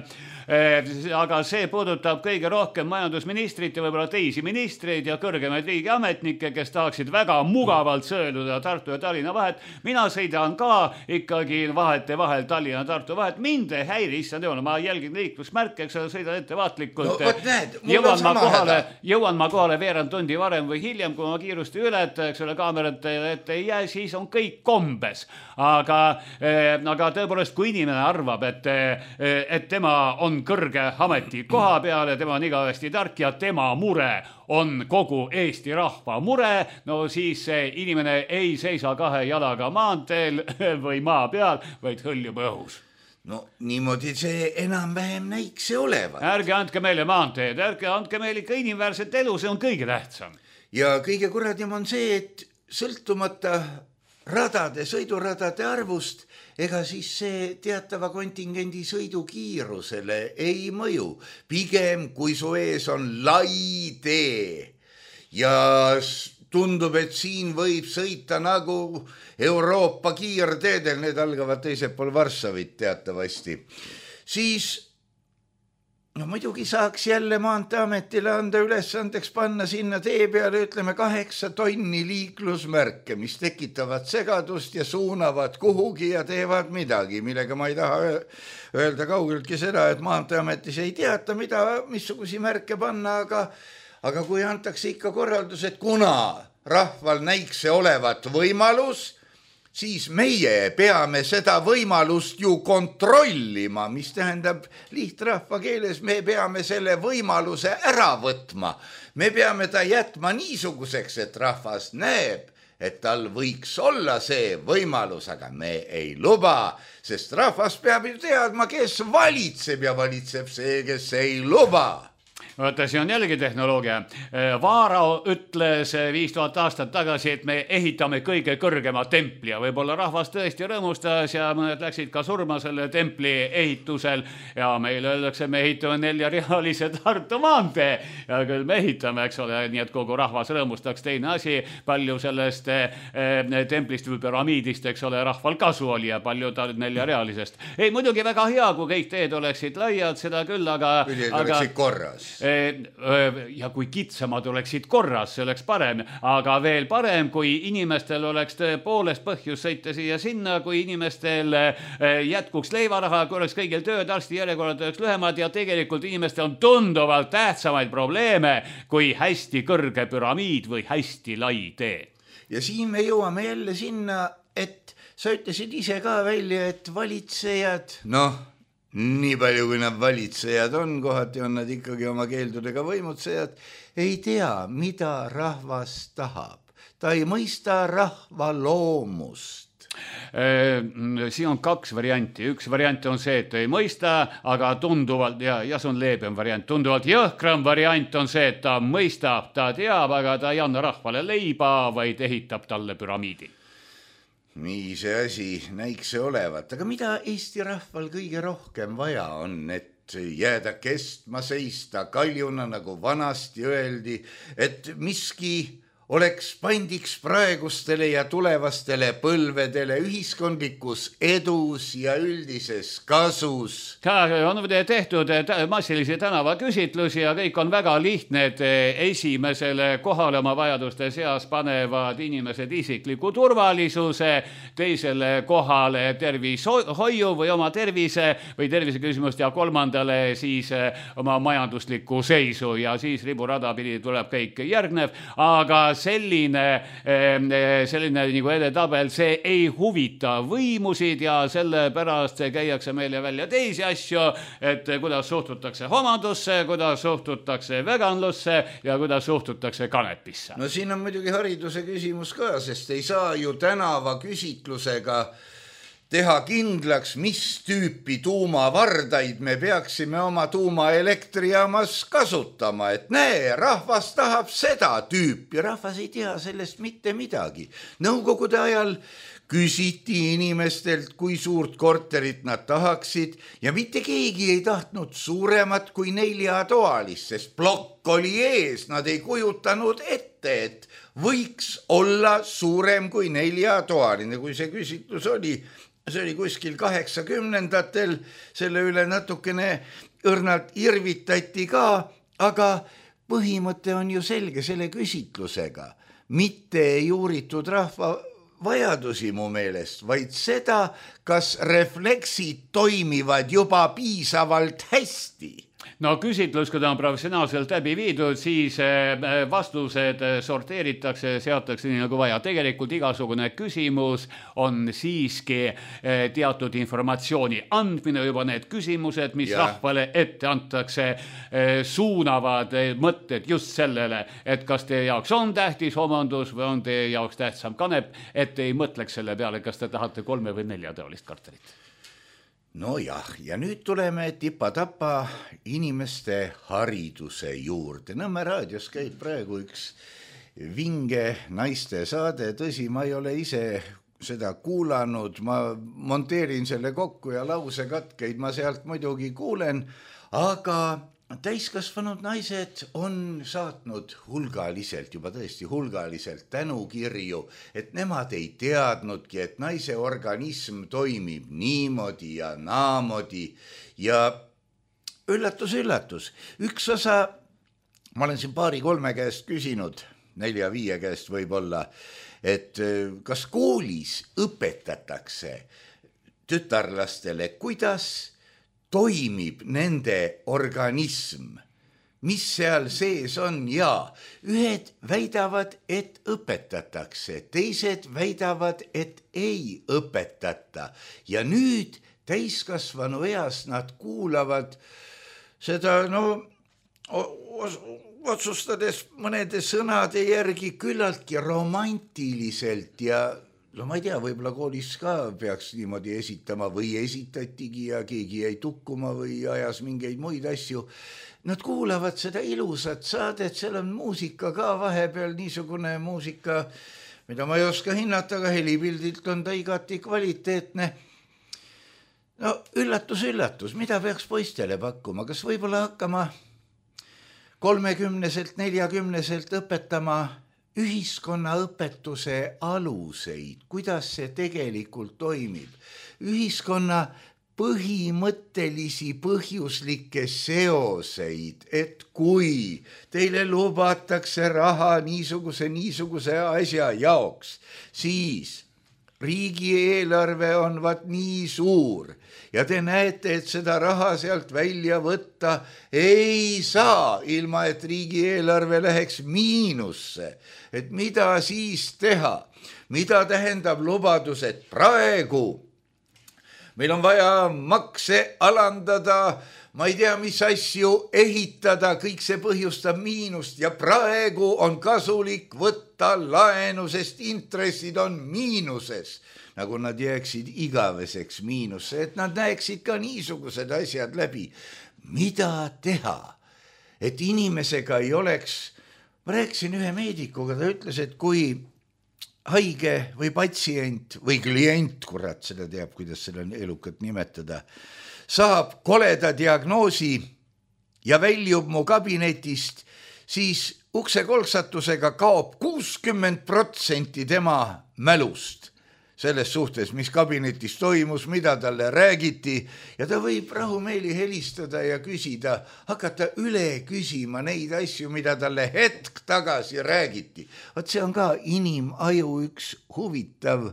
Aga see puudutab kõige rohkem majandusministrit ja võib-olla teisi ministreid ja kõrgemaid riigiametnikke, kes tahaksid väga mugavalt sööduda Tartu ja Tallinna vahet. Mina sõidan ka ikkagi vahete vahel Tallinna ja Tartu vahet. Mind ei häiri, issand jumal, ma jälgin liiklusmärke, eks sõidan ettevaatlikult. No, näed, jõuan, ma kohale, jõuan ma kohale veerand tundi varem või hiljem, kui ma kiirusti ületa, eks ole, kaamerate ette ei jää, siis on kõik kombes. Aga, eh, aga tõepoolest, kui inimene arvab, et, et tema on kõrge ameti koha peal ja tema on igavesti tark ja tema mure on kogu Eesti rahva mure, no siis inimene ei seisa kahe jalaga maanteel või maa peal, vaid hõljub õhus. No niimoodi see enam-vähem näikse olevat. Ärge andke meile maanteed, ärge andke meile ikka inimväärset elu, see on kõige tähtsam. ja kõige kuradim on see, et sõltumata radade, sõiduradade arvust, ega siis see teatava kontingendi sõidukiirusele ei mõju. Pigem, kui su ees on lai tee ja tundub, et siin võib sõita nagu Euroopa kiirteedel, need algavad teisel pool Varssavit teatavasti, siis no muidugi saaks jälle Maanteeametile anda ülesandeks panna sinna tee peale, ütleme, kaheksa tonni liiklusmärke, mis tekitavad segadust ja suunavad kuhugi ja teevad midagi, millega ma ei taha öelda kaugeltki seda, et Maanteeametis ei teata, mida, missugusi märke panna, aga, aga kui antakse ikka korraldus, et kuna rahval näiks see olevat võimalus, siis meie peame seda võimalust ju kontrollima, mis tähendab lihtrahva keeles, me peame selle võimaluse ära võtma. Me peame ta jätma niisuguseks, et rahvas näeb, et tal võiks olla see võimalus, aga me ei luba, sest rahvas peab ju teadma, kes valitseb ja valitseb see, kes ei luba. Vaata, see on jällegi tehnoloogia. Vaarao ütles viis tuhat aastat tagasi, et me ehitame kõige kõrgema templi ja võib-olla rahvas tõesti rõõmustas ja mõned läksid ka surma selle templi ehitusel ja meile öeldakse, me ehitame neljarealise Tartu maantee ja küll me ehitame, eks ole, nii et kogu rahvas rõõmustaks. Teine asi, palju sellest eh, templist või püramiidist, eks ole, rahval kasu oli ja palju ta neljarealisest. Ei, muidugi väga hea, kui kõik teed oleksid laiad, seda küll, aga... Kui teed oleksid korras. Ja kui kitsamad oleksid korras, see oleks parem, aga veel parem, kui inimestel oleks tõepoolest põhjus sõita siia sinna, kui inimestel jätkuks leivaraha, kui oleks kõigil tööd, arsti järjekorrad oleks lühemad ja tegelikult inimestel on tunduvalt tähtsamaid probleeme kui hästi kõrge püramiid või hästi lai tee. Ja siin me jõuame jälle sinna, et sa ütlesid ise ka välja, et valitsejad, noh, nii palju, kui nad valitsejad on, kohati on nad ikkagi oma keeldudega võimutsejad, ei tea, mida rahvas tahab. Ta ei mõista rahva loomust. Siin on kaks varianti. Üks variant on see, et ei mõista, aga tunduvalt, ja, ja see on leebem variant, tunduvalt jõhkram variant on see, et ta mõistab, ta teab, aga ta ei anna rahvale leiba, vaid ehitab talle püramiidi. Nii see asi näiks see olevat, aga mida Eesti rahval kõige rohkem vaja on, et jääda kestma seista kaljuna, nagu vanasti öeldi, et miski oleks pandiks praegustele ja tulevastele põlvedele ühiskondlikus edus ja üldises kasus. On tehtud massilisi tänavaküsitlusi ja kõik on väga lihtne, et esimesele kohale oma vajaduste seas panevad inimesed isikliku turvalisuse, teisele kohale tervishoiu või oma tervise või tervise küsimust ja kolmandale siis oma majandusliku seisu ja siis riburada pidi tuleb kõik järgnev, aga selline, selline nagu edetabel, see ei huvita võimusid ja sellepärast käiakse meile välja teisi asju, et kuidas suhtutakse homandusse, kuidas suhtutakse veganlusse ja kuidas suhtutakse kanepisse. No siin on muidugi hariduse küsimus ka, sest ei saa ju tänava küsitlusega teha kindlaks, mis tüüpi tuumavardaid me peaksime oma tuumaelektrijaamas kasutama, et näe, rahvas tahab seda tüüpi, rahvas ei tea sellest mitte midagi. Nõukogude ajal küsiti inimestelt, kui suurt korterit nad tahaksid ja mitte keegi ei tahtnud suuremat kui neljatoalist, sest plokk oli ees, nad ei kujutanud ette, et võiks olla suurem kui neljatoaline, kui see küsitlus oli. See oli kuskil kaheksakümnendatel, selle üle natukene õrnalt irvitati ka, aga põhimõte on ju selge selle küsitlusega. Mitte ei uuritud rahva vajadusi mu meelest, vaid seda, kas refleksid toimivad juba piisavalt hästi. No küsitlus, kui ta on professionaalselt läbi viidud, siis vastused sorteeritakse, seatakse nii nagu vaja. Tegelikult igasugune küsimus on siiski teatud informatsiooni andmine, juba need küsimused, mis ja. rahvale ette antakse, suunavad mõtted just sellele, et kas teie jaoks on tähtis homandus või on teie jaoks tähtsam kanep, et ei mõtleks selle peale, kas te tahate kolme või neljateolist kartelit. No jah, ja nüüd tuleme tipa-tapa inimeste hariduse juurde. Nõmme raadios käib praegu üks vinge naiste saade, tõsi, ma ei ole ise seda kuulanud, ma monteerin selle kokku ja lausekatkeid ma sealt muidugi kuulen, aga täiskasvanud naised on saatnud hulgaliselt, juba tõesti hulgaliselt tänukirju, et nemad ei teadnudki, et naise organism toimib niimoodi ja naamodi ja üllatus, üllatus. Üks osa, ma olen siin paari-kolme käest küsinud, nelja-viie käest võib-olla, et kas koolis õpetatakse tütarlastele, kuidas toimib nende organism, mis seal sees on ja ühed väidavad, et õpetatakse, teised väidavad, et ei õpetata ja nüüd täiskasvanu eas nad kuulavad seda, no otsustades mõnede sõnade järgi küllaltki romantiliselt ja no ma ei tea, võib-olla koolis ka peaks niimoodi esitama või esitatigi ja keegi jäi tukkuma või ajas mingeid muid asju. Nad kuulavad seda ilusat saadet, seal on muusika ka vahepeal, niisugune muusika, mida ma ei oska hinnata, aga helipildilt on ta igati kvaliteetne. No üllatus, üllatus, mida peaks poistele pakkuma, kas võib-olla hakkama kolmekümneselt, neljakümneselt õpetama ühiskonnaõpetuse aluseid, kuidas see tegelikult toimib, ühiskonna põhimõttelisi põhjuslikke seoseid, et kui teile lubatakse raha niisuguse, niisuguse asja jaoks, siis riigieelarve on vaat nii suur ja te näete, et seda raha sealt välja võtta ei saa, ilma et riigieelarve läheks miinusse. Et mida siis teha? Mida tähendab lubadus, et praegu meil on vaja makse alandada, ma ei tea, mis asju ehitada, kõik see põhjustab miinust ja praegu on kasulik võtta laenu, sest intressid on miinuses, nagu nad jääksid igaveseks miinusse, et nad näeksid ka niisugused asjad läbi. Mida teha, et inimesega ei oleks, ma rääkisin ühe meedikuga, ta ütles, et kui haige või patsient või klient, kurat, seda teab, kuidas seda elukat nimetada, saab koleda diagnoosi ja väljub mu kabinetist, siis uksekolksatusega kaob kuuskümmend protsenti tema mälust selles suhtes, mis kabinetis toimus, mida talle räägiti ja ta võib rahumeeli helistada ja küsida, hakata üle küsima neid asju, mida talle hetk tagasi räägiti. Vot see on ka inimaju üks huvitav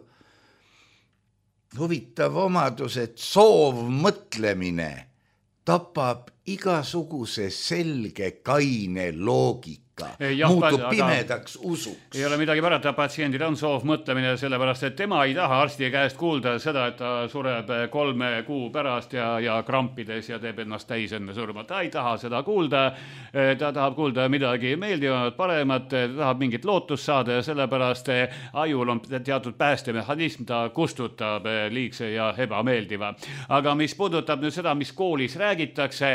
huvitav omadus, et soovmõtlemine tapab igasuguse selge kaine loogika. Ja, muutub pimedaks usuks. Ei ole midagi parata, patsiendil on soov mõtlemine, sellepärast, et tema ei taha arsti käest kuulda seda, et ta sureb kolme kuu pärast ja, ja krampides ja teeb ennast täis enne surma. Ta ei taha seda kuulda, ta tahab kuulda midagi meeldivat, paremat, ta tahab mingit lootust saada ja sellepärast ajul on teatud päästemehhanism, ta kustutab liigse ja ebameeldiva. Aga mis puudutab nüüd seda, mis koolis räägitakse,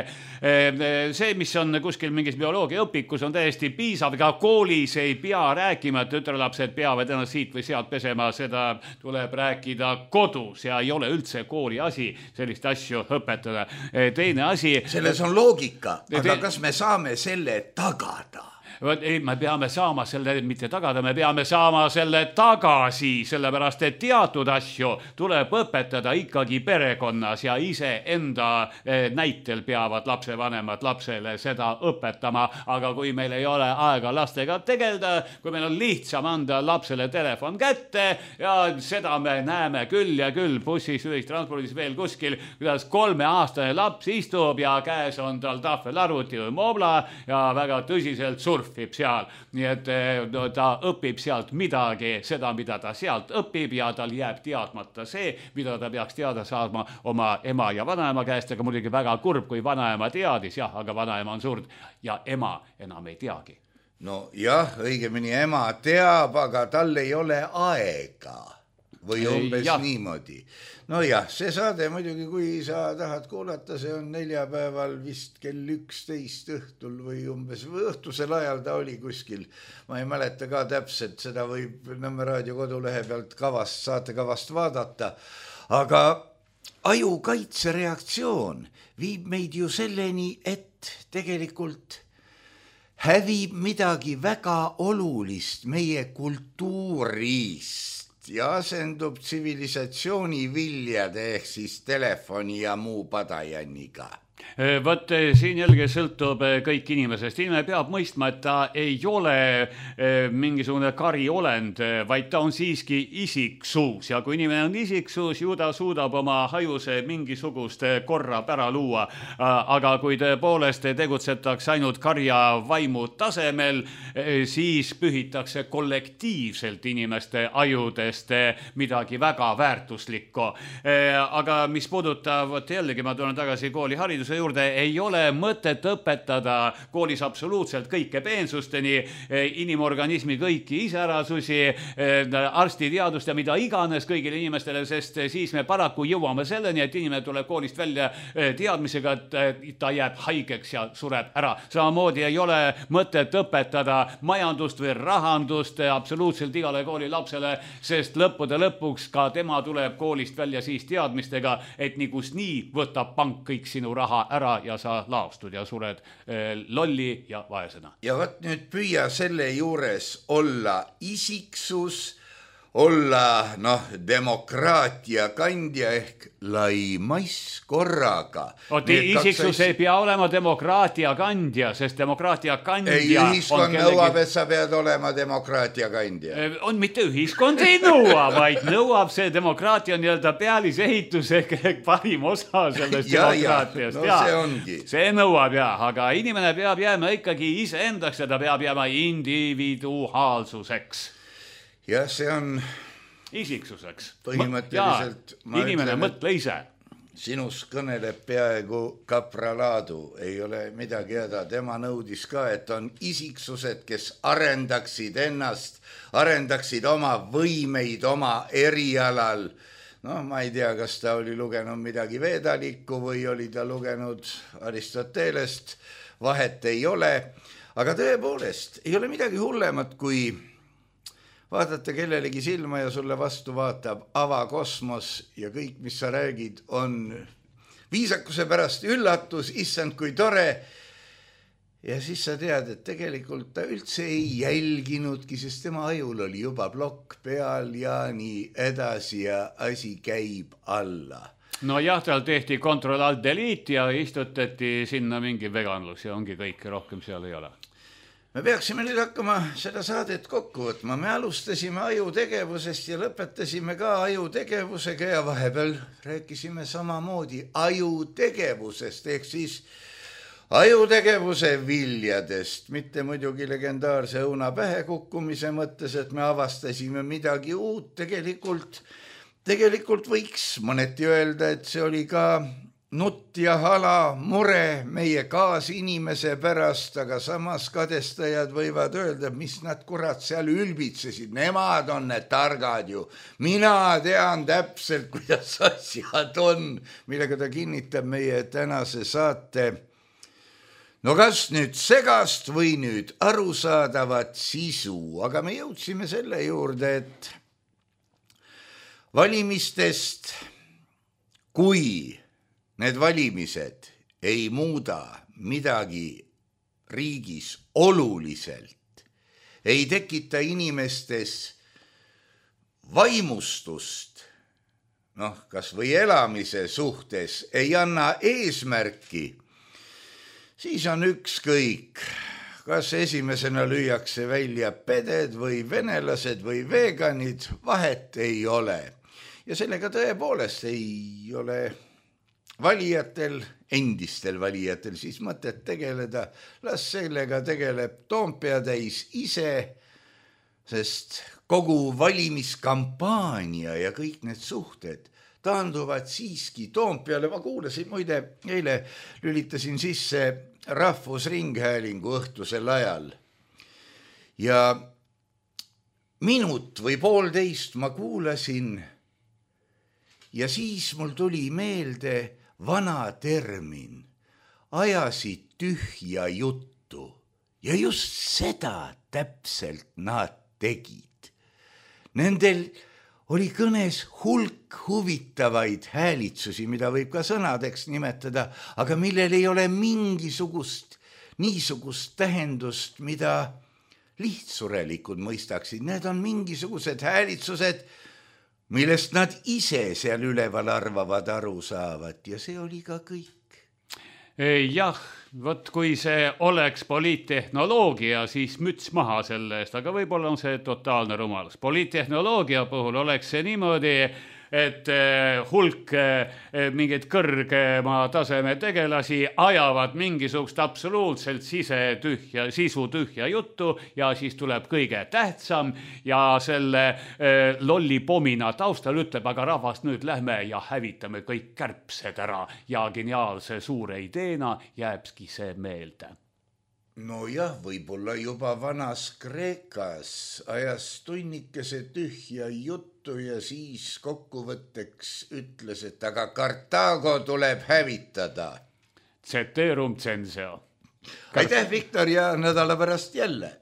see, mis on kuskil mingis bioloogia õpikus, on täiesti piisav, ka koolis ei pea rääkima, et tütrelapsed peavad ennast siit või sealt pesema, seda tuleb rääkida kodus ja ei ole üldse kooli asi sellist asju õpetada. Teine asi... Selles on loogika, aga kas me saame selle tagada? Ei, me peame saama selle, mitte tagada, me peame saama selle tagasi, sellepärast, et teatud asju tuleb õpetada ikkagi perekonnas ja ise enda näitel peavad lapsevanemad lapsele seda õpetama, aga kui meil ei ole aega lastega tegelda, kui meil on lihtsam anda lapsele telefon kätte ja seda me näeme küll ja küll bussis, ühistranspordis veel kuskil, kuidas kolmeaastane laps istub ja käes on tal tahvelarvuti või mobla ja väga tõsiselt surf seal, nii et no, ta õpib sealt midagi, seda, mida ta sealt õpib ja tal jääb teadmata see, mida ta peaks teada saama oma ema ja vanaema käest, aga muidugi väga kurb, kui vanaema teadis, jah, aga vanaema on surnud ja ema enam ei teagi. No jah, õigemini ema teab, aga tal ei ole aega. või umbes ja. niimoodi. No jah, see saade muidugi, kui sa tahad kuulata, see on neljapäeval vist kell üksteist õhtul või umbes või õhtusel ajal ta oli kuskil. Ma ei mäleta ka täpselt, seda võib Nõmme raadio kodulehe pealt kavast, saatekavast vaadata, aga ajukaitsereaktsioon viib meid ju selleni, et tegelikult hävib midagi väga olulist meie kultuurist ja asendub tsivilisatsiooni viljade ehk siis telefoni ja muu padajanniga. Võt siin jälge sõltub kõik inimesest. Inimene peab mõistma, et ta ei ole mingisugune kariolend, vaid ta on siiski isiksus. Ja kui inimene on isiksus, ju ta suudab oma hajuse mingisugust korra pära luua. Aga kui tõepoolest tegutsetakse ainult karja vaimu tasemel, siis pühitakse kollektiivselt inimeste ajudest midagi väga väärtuslikku. Aga mis puudutab, jällegi ma tulen tagasi kooli hariduse juurde, ei ole mõtet õpetada koolis absoluutselt kõike peensusteni, inimorganismi kõiki iseärasusi, arstiteadust ja mida iganes kõigile inimestele, sest siis me paraku jõuame selleni, et inimene tuleb koolist välja teadmisega, et ta jääb haigeks ja sureb ära. Samamoodi ei ole mõtet õpetada majandust või rahandust absoluutselt igale kooli lapsele, sest lõppude lõpuks ka tema tuleb koolist välja siis teadmistega, et nigus nii võtab pank kõik sinu raha ära ja sa laostud ja sured eh, lolli ja vaesena. Ja võt nüüd püüa selle juures olla isiksus, olla noh, demokraatia kandja ehk laimais korraga. Oot, isiksus kaks... ei pea olema demokraatia kandja, sest demokraatia kandja ei, ühiskond kellegi... nõuab, et sa pead olema demokraatia kandja. On mitte ühiskond ei nõua, vaid nõuab see demokraatia nii-öelda pealisehitus ehk parim osa sellest ja, demokraatiast. Ja, no see ongi. See nõuab jah, aga inimene peab jääma ikkagi iseendaks ja ta peab jääma individuaalsuseks. Ja see on isiksuseks. Põhimõtteliselt ma inimene ütlen, mõtle ise. Sinus kõneleb peaaegu kapralaadu, ei ole midagi häda. Tema nõudis ka, et on isiksused, kes arendaksid ennast, arendaksid oma võimeid oma erialal. No ma ei tea, kas ta oli lugenud midagi veedalikku või oli ta lugenud Aristotelest, vahet ei ole. Aga tõepoolest, ei ole midagi hullemat, kui vaadata kellelegi silma ja sulle vastu vaatab avakosmos ja kõik, mis sa räägid, on viisakuse pärast üllatus, issand kui tore. Ja siis sa tead, et tegelikult ta üldse ei jälginudki, sest tema ajul oli juba plokk peal ja nii edasi ja asi käib alla. No jah, tal tehti kontroll alt delete ja istutati sinna mingi veganlus ja ongi kõik, rohkem seal ei ole. Me peaksime nüüd hakkama seda saadet kokku võtma. Me alustasime ajutegevusest ja lõpetasime ka ajutegevusega ja vahepeal rääkisime samamoodi ajutegevusest ehk siis ajutegevuse viljadest, mitte muidugi legendaarse õuna pähe kukkumise mõttes, et me avastasime midagi uut. Tegelikult, tegelikult võiks mõneti öelda, et see oli ka nutt ja hala mure meie kaasinimese pärast, aga samas kadestajad võivad öelda, mis nad kurat seal ülbitsesid. Nemad on need targad ju. Mina tean täpselt, kuidas asjad on, millega ta kinnitab meie tänase saate. No kas nüüd segast või nüüd arusaadavat sisu, aga me jõudsime selle juurde, et valimistest, kui need valimised ei muuda midagi riigis oluliselt, ei tekita inimestes vaimustust, noh, kas või elamise suhtes, ei anna eesmärki, siis on ükskõik, kas esimesena lüüakse välja peded või venelased või veganid, vahet ei ole. Ja sellega tõepoolest ei ole valijatel, endistel valijatel siis mõtet tegeleda, las sellega tegeleb Toompea täis ise, sest kogu valimiskampaania ja kõik need suhted taanduvad siiski Toompeale. Ma kuulasin, muide, eile lülitasin sisse Rahvusringhäälingu õhtusel ajal ja minut või poolteist ma kuulasin ja siis mul tuli meelde vana termin, ajasid tühja juttu ja just seda täpselt nad tegid. Nendel oli kõnes hulk huvitavaid häälitsusi, mida võib ka sõnadeks nimetada, aga millel ei ole mingisugust niisugust tähendust, mida lihtsurelikud mõistaksid. Need on mingisugused häälitsused, millest nad ise seal üleval arvavad, aru saavad ja see oli ka kõik. Jah, vot kui see oleks poliittehnoloogia, siis müts maha selle eest, aga võib-olla on see totaalne rumalus. Poliittehnoloogia puhul oleks see niimoodi, et hulk mingeid kõrgema taseme tegelasi ajavad mingisugust absoluutselt sisetühja, sisu tühja juttu ja siis tuleb kõige tähtsam ja selle lolli pomina taustal ütleb, aga rahvast nüüd lähme ja hävitame kõik kärbsed ära ja geniaalse suure ideena jääbski see meelde. No jah, võib-olla juba vanas Kreekas ajas tunnikese tühja juttu ja siis kokkuvõtteks ütles, et aga Kartaago tuleb hävitada. Ceterum censeo. Aitäh, Viktor, ja nädala pärast jälle.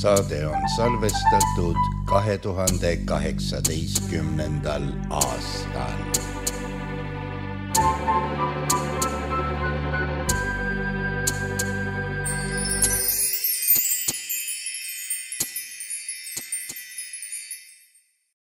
saade on salvestatud kahe tuhande kaheksateistkümnendal aastal.